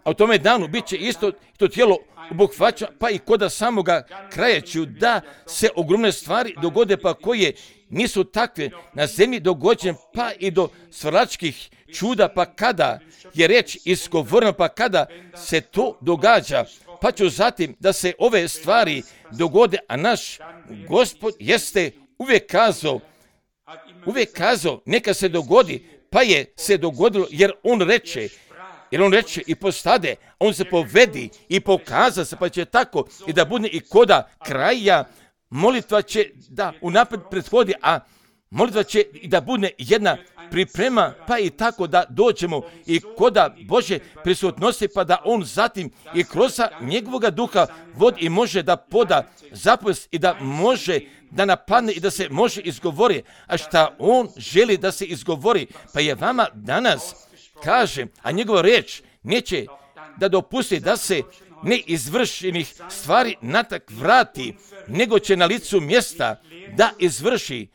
A u tome danu bit će isto to tijelo obuhvaća, pa i koda samoga kraja ću da se ogromne stvari dogode, pa koje nisu takve na zemlji dogođene, pa i do stvaralačkih čuda, pa kada je reč izgovorena, pa kada se to događa, pa ću zatim da se ove stvari dogode, a naš Gospod jeste uvijek kazao, neka se dogodi, pa je se dogodilo, jer on reče i postade, on se povedi i pokaza se, pa će tako i da bude i koda kraja, molitva će da unaprijed prethodi, a molitva će i da bude jedna priprema, pa i tako da dođemo i koda Bože prisutnosti, pa da on zatim i kroz njegovoga duha vodi i može da poda zapovest i da može da napadne i da se može izgovori, a šta on želi da se izgovori, pa je vama danas kaže, a njegova reč neće da dopusti da se neizvršenih stvari natak vrati, nego će na licu mjesta da izvrši.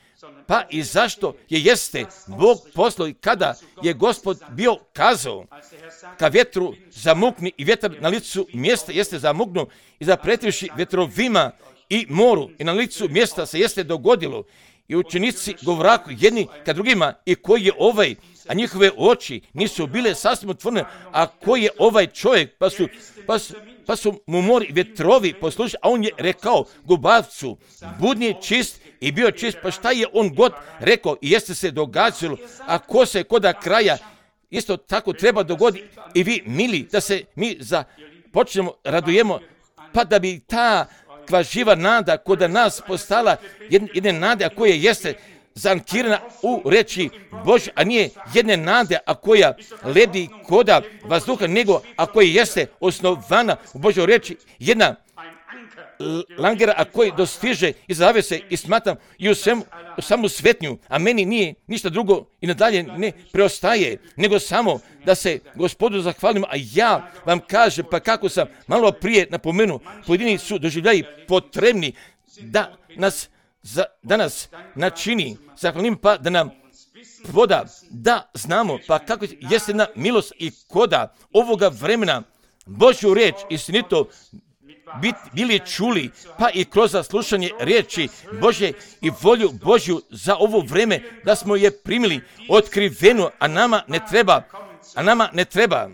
Pa i zašto jeste Bog poslao i kada je Gospod bio kazao ka vjetru zamukni i vjetar na licu mjesta jeste zamuknuo i zapretivši vjetrovima i moru i na licu mjesta se jeste dogodilo i učenici govoraku jedni ka drugima i koji je ovaj, a njihove oči nisu bile sasvim otvorene, a koji je ovaj čovjek, pa su mu mori vjetrovi poslušali, a on je rekao gubavcu, budni čist i bio čist, pa šta je on god rekao i jeste se događalo, a ko se koda kraja isto tako treba dogoditi i vi mili da se mi počnemo radujemo, pa da bi ta živa nada koda nas postala jedne nade, a koja jeste zankirana u reči Božje, a nije jedne nade, a koja lebdi koda vazduha, nego a koja jeste osnovana u Božjoj reči, jedna langera, a koji dostiže i zavese i smatam i u samu svetnju, a meni nije ništa drugo i nadalje ne preostaje, nego samo da se Gospodu zahvalimo, a ja vam kažem, pa kako sam malo prije napomenuo, pojedini su doživljaji potrebni da nas načini zahvalnim, pa da nam poda, da znamo, pa kako jeste na milost i koda ovoga vremena Božju reč istinito bili čuli, pa i kroz slušanje riječi Božje i volju Božju za ovo vreme, da smo je primili otkrivenu, a nama ne treba.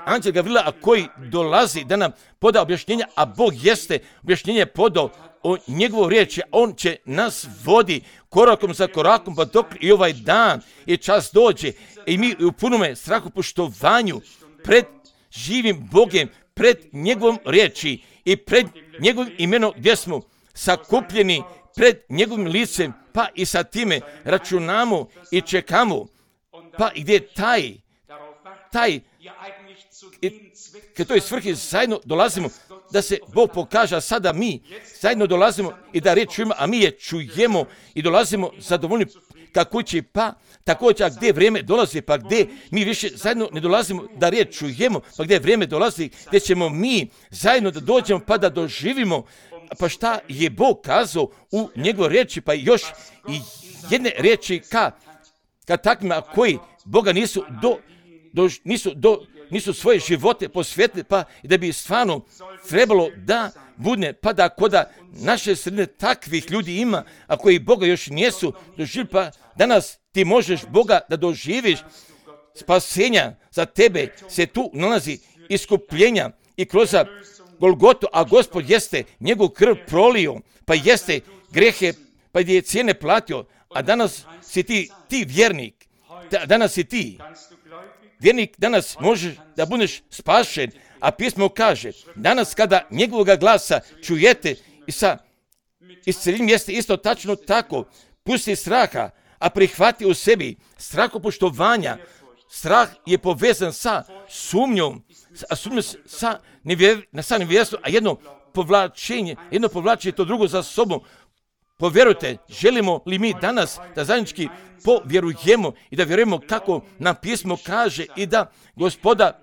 Anđel Gavrila, a koji dolazi da nam poda objašnjenja, a Bog jeste objašnjenje podao o njegovu riječi, on će nas vodi korakom za korakom, pa dok i ovaj dan i čas dođe i mi u punome strahopoštovanju pred živim Bogem, pred njegovom riječi i pred njegovim imenom gdje smo sakupljeni pred njegovim licem, pa i sa time računamo i čekamo, pa i gdje taj kad toj svrhi zajedno dolazimo, da se Bog pokaže, a sada mi zajedno dolazimo i da riječ čujemo, a mi je čujemo i dolazimo zadovoljni ka kući, pa također gdje vrijeme dolazi, pa gdje mi više zajedno ne dolazimo da riječ čujemo, pa gdje vrijeme dolazi, gdje ćemo mi zajedno da dođemo pa da doživimo, pa šta je Bog kazao u njegovoj riječi, pa još i jedne riječi ka takvima koji Boga nisu svoje živote posvetili, pa i da bi stvarno trebalo da bude, pa da koda naše sredine takvih ljudi ima, a koji Boga još nisu doživjeli, pa danas ti možeš Boga da doživiš, spasenja za tebe se tu nalazi, iskupljenja i kroz Golgotu, a Gospod jeste njegov krv prolio, pa jeste grehe, pa je cijene platio, a danas si ti vjernik, danas si ti vjernik, danas možeš da budeš spašen, a pismo kaže, danas kada njegovoga glasa čujete i sa isceljenjem jeste isto tačno tako, pusti straha, a prihvati u sebi strahopoštovanja. Strah je povezan sa sumnjom, sa nevjerstvom, a jedno povlačenje to drugo za sobom. Povjerujte, želimo li mi danas da zajednički povjerujemo i da vjerujemo kako nam pismo kaže i da Gospoda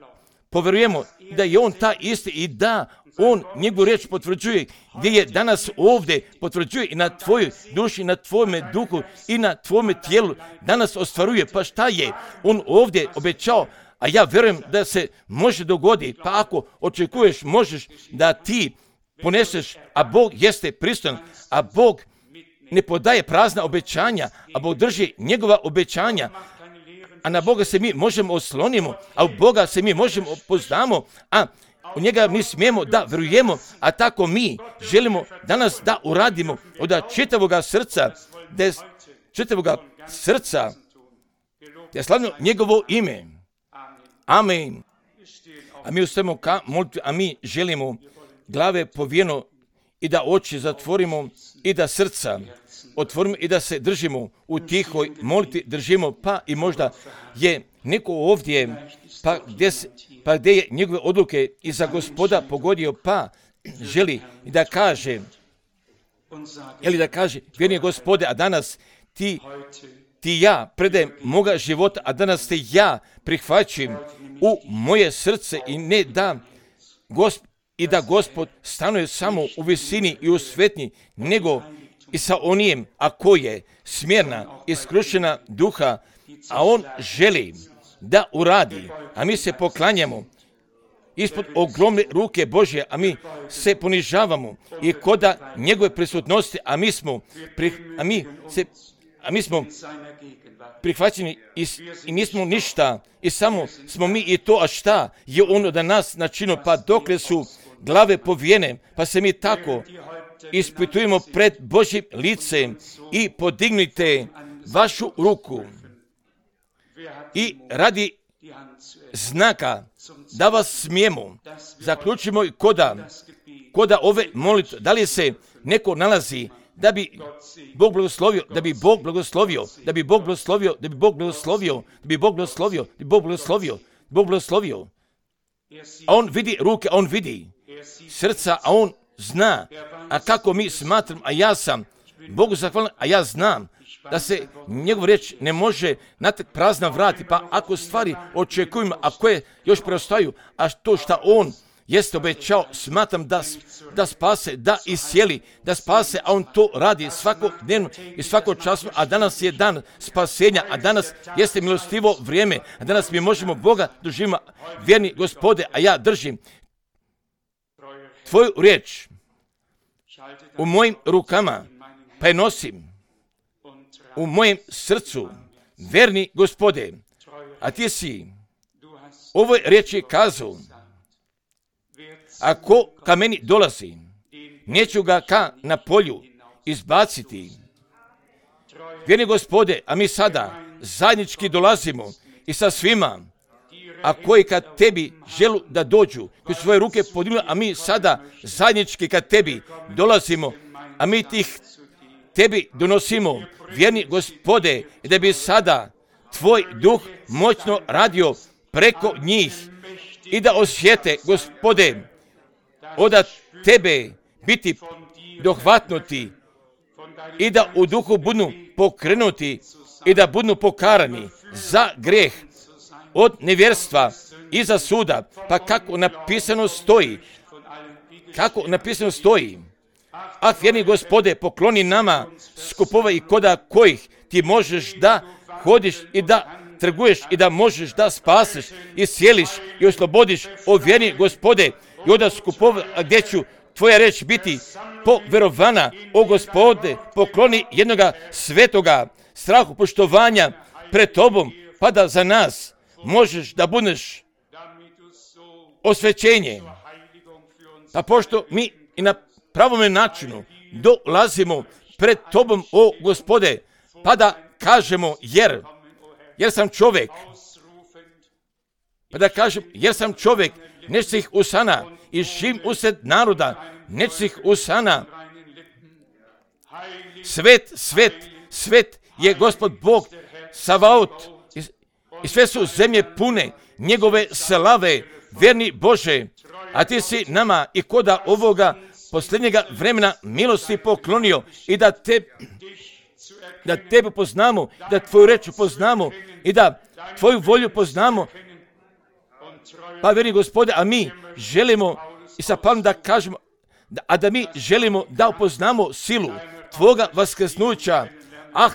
povjerujemo da je on ta isti i da on njegovu riječ potvrđuje, gdje je danas ovdje potvrđuje i na tvojoj duši, na tvojome duhu i na tvojome tijelu danas ostvaruje. Pa šta je on ovdje obećao, a ja vjerujem da se može dogoditi, pa ako očekuješ možeš da ti poneseš, a Bog jeste pristojan, a Bog ne podaje prazna obećanja, a Bog drži njegova obećanja, a na Boga se mi možemo oslonimo, a u Boga se mi možemo poznamo, a u njega mi smijemo da vjerujemo, a tako mi želimo danas da uradimo od čitavoga srca, da slavimo njegovo ime. Amen. A mi ustajemo ka molitvi, a mi želimo glave povijeno i da oči zatvorimo i da srca otvorimo i da se držimo u tihoj molitvi, držimo, pa i možda je neko ovdje, pa gdje je njegove odluke i za Gospoda pogodio, pa želi da kaže, vjerni Gospode, a danas ti ja predajem moga života, a danas te ja prihvaćam u moje srce i ne da Gospod stanuje samo u visini i u svetnji, nego i sa onijem, ako je smjerna, iskrušena duha, a on želi da uradi, a mi se poklanjamo ispod ogromne ruke Božje, a mi se ponižavamo i koda njegove prisutnosti, a mi smo prihvaćeni i nismo ništa i samo smo mi i to, a šta je ono da nas načinilo, pa dokle su glave povijene, pa se mi tako ispitujemo pred Božjim licem i podignite vašu ruku i radi znaka da vas smijemo, zaključimo i koda ove molitve, da li se neko nalazi da bi Bog blagoslovio, a on vidi ruke, a on vidi srca, a on zna, a kako mi smatram, a ja sam Bogu zahvalan, a ja znam da se njegov riječ ne može na tak prazna vrati, pa ako stvari očekujemo, a koje još preostaju, a to što on jeste obećao, smatram da spase, da iscijeli, da spase, a on to radi svakodnevno i svakočasno, a danas je dan spasenja, a danas jeste milostivo vrijeme, a danas mi možemo Boga doživimo, vjerni Gospode, a ja držim tvoju riječ u mojim rukama, pa je nosim u mojem srcu, vjerni Gospode, a ti si ovoj riječi kazao, ako ka meni dolazi, neću ga ka na polju izbaciti. Vjerni Gospode, a mi sada zajednički dolazimo i sa svima, a koji kad tebi želu da dođu, koji svoje ruke podignu, a mi sada zajednički kad tebi dolazimo, a mi tih tebi donosimo, vjerni Gospode, da bi sada tvoj duh moćno radio preko njih i da osjete, Gospode, od tebe biti dohvatnuti i da u duhu budu pokrenuti i da budu pokarani za grijeh od nevjerstva i za suda, pa kako napisano stoji, a vjerni Gospode, pokloni nama skupova i koda kojih ti možeš da hodiš i da trguješ i da možeš da spasiš i sjeliš i oslobodiš, o vjerni Gospode, i od skupova gdje ću tvoja reč biti poverovana, o Gospode, pokloni jednoga svetoga strahu poštovanja pred tobom, pa da za nas možeš da budeš osvećenje. Pa pošto mi i na pravome načinu dolazimo pred tobom, o Gospode, pa da kažemo jer sam čovjek, nečih usana i živim usred naroda, nečih usana. Svet je Gospod Bog Savaot i sve su zemlje pune njegove slave, vjerni Bože, a ti si nama i koda ovoga posljednjega vremena milosti poklonio i da tebe poznamo, da tvoju reč poznamo i da tvoju volju poznamo. Pa vjerni Gospode, a mi želimo i sa Pavlom da kažemo, da mi želimo da upoznamo silu tvoga vaskrsnuća.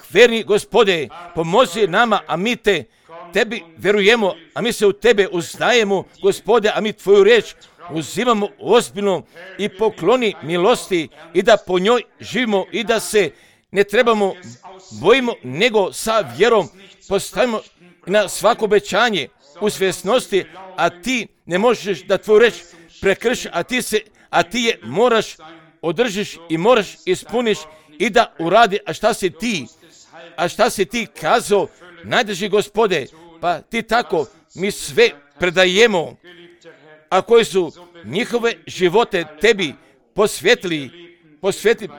Vjerni Gospode, pomozi nama, a mi tebi vjerujemo, a mi se u tebe uznajemo, Gospode, a mi tvoju riječ uzimamo ozbiljno i pokloni milosti i da po njoj živimo i da se ne trebamo bojimo, nego sa vjerom postavimo na svako obećanje u svjesnosti, a ti ne možeš da tvoju reč prekrši, a ti je moraš održiš i moraš ispuniš i da uradi, a šta si ti kazao, najdrži Gospode, pa ti tako mi sve predajemo, a koji su njihove živote tebi posvetili,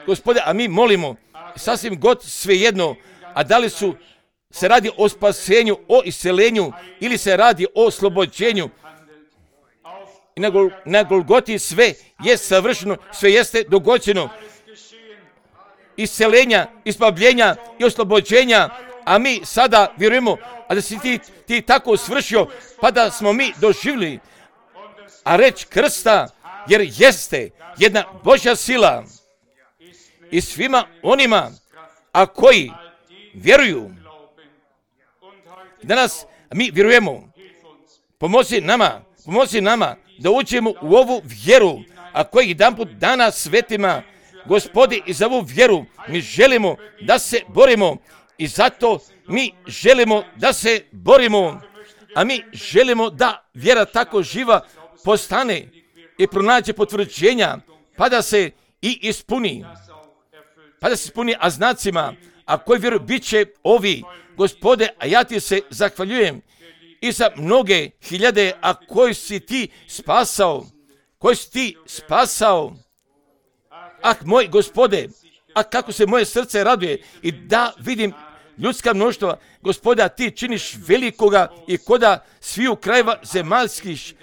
Gospode, a mi molimo, sasvim god svejedno, a da li se radi o spasenju, o iscelenju ili se radi o oslobođenju. I na Golgoti sve je savršeno, sve jeste dogođeno. Iscelenja, ispavljenja i oslobođenja, a mi sada vjerujemo, a da si ti tako svršio, pa da smo mi doživjeli, a reč krsta, jer jeste jedna Božja sila i svima onima, a koji vjeruju. Danas mi vjerujemo, pomozi nama da uđemo u ovu vjeru, a koji jedanput dana svetima, Gospodi, i za ovu vjeru mi želimo da se borimo i zato mi želimo da se borimo, a mi želimo da vjera tako živa postane i pronađe potvrđenja, pa da se i ispuni, a znacima, a koji vjeruju bit će ovi, Gospode, a ja ti se zahvaljujem i za mnoge hiljade, a koji si ti spasao, ah, moj Gospode, a kako se moje srce raduje i da vidim ljudska mnoštva, Gospode, a ti činiš velikoga i koda sviju krajeva zemaljskih,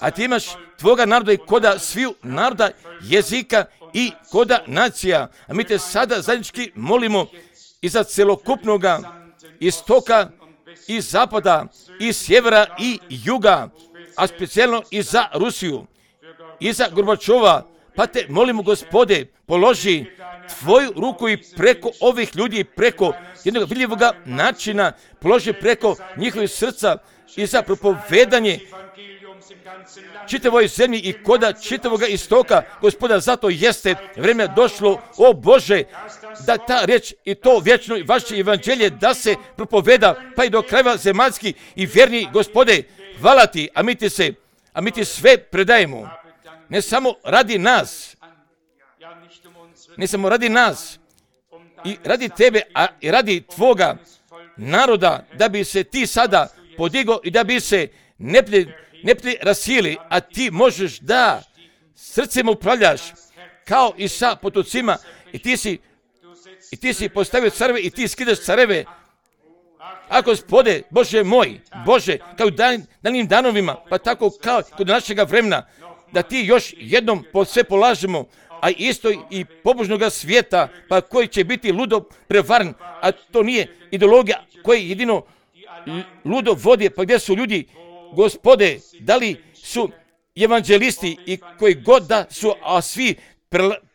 a ti imaš tvoga naroda i koda sviju naroda, jezika i koda nacija, a mi te sada zajednički molimo i za celokupnoga istoka i zapada i sjevera i juga, a specijalno i za Rusiju i za Gorbačova, pa te molimo, Gospode, položi tvoju ruku i preko ovih ljudi, preko jednog vidljivog načina, položi preko njihovih srca i za propovedanje čitavoj zemlji i koda čitavog istoka, Gospoda, zato jeste vrijeme došlo, o Bože, da ta riječ i to vječno vaše evanđelje da se propoveda pa i do krajeva zemaljski i vjerni, Gospode, hvala ti, a mi ti sve predajemo, ne samo radi nas i radi tebe, a i radi tvoga naroda, da bi se ti sada podigao i da bi se neprijatelji rasili, a ti možeš da srcem upravljaš kao i sa potocima i ti si postavio careve i ti skidaš careve. A Gospode, Bože moj, Bože, kao danim danovima, pa tako kao kod našega vremena, da ti još jednom sve polažemo, a isto i pobožnoga svijeta, pa koji će biti ludo prevaren, a to nije ideologija koji jedino ludo vodi, pa gdje su ljudi, Gospode, da li su evanđelisti i koji god da su, a svi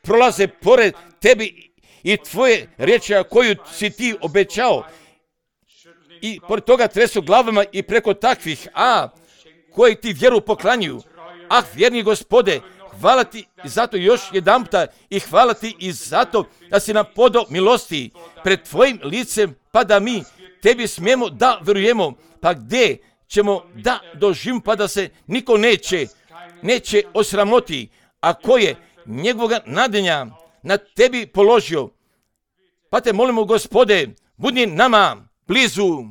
prolaze pored tebi i tvoje riječi koju si ti obećao i pored toga tresu glavama i preko takvih, koji ti vjeru poklanjuju. Ah, vjerni Gospode, hvala ti zato još jedanputa i hvala ti i zato da si nam podao milosti pred tvojim licem, pa da mi tebi smijemo da vjerujemo, pa gdje ćemo da doživimo, pa da se niko neće osramoti, a ko je njegovoga nadenja na tebi položio. Pa te molimo, Gospode, budi nama blizu.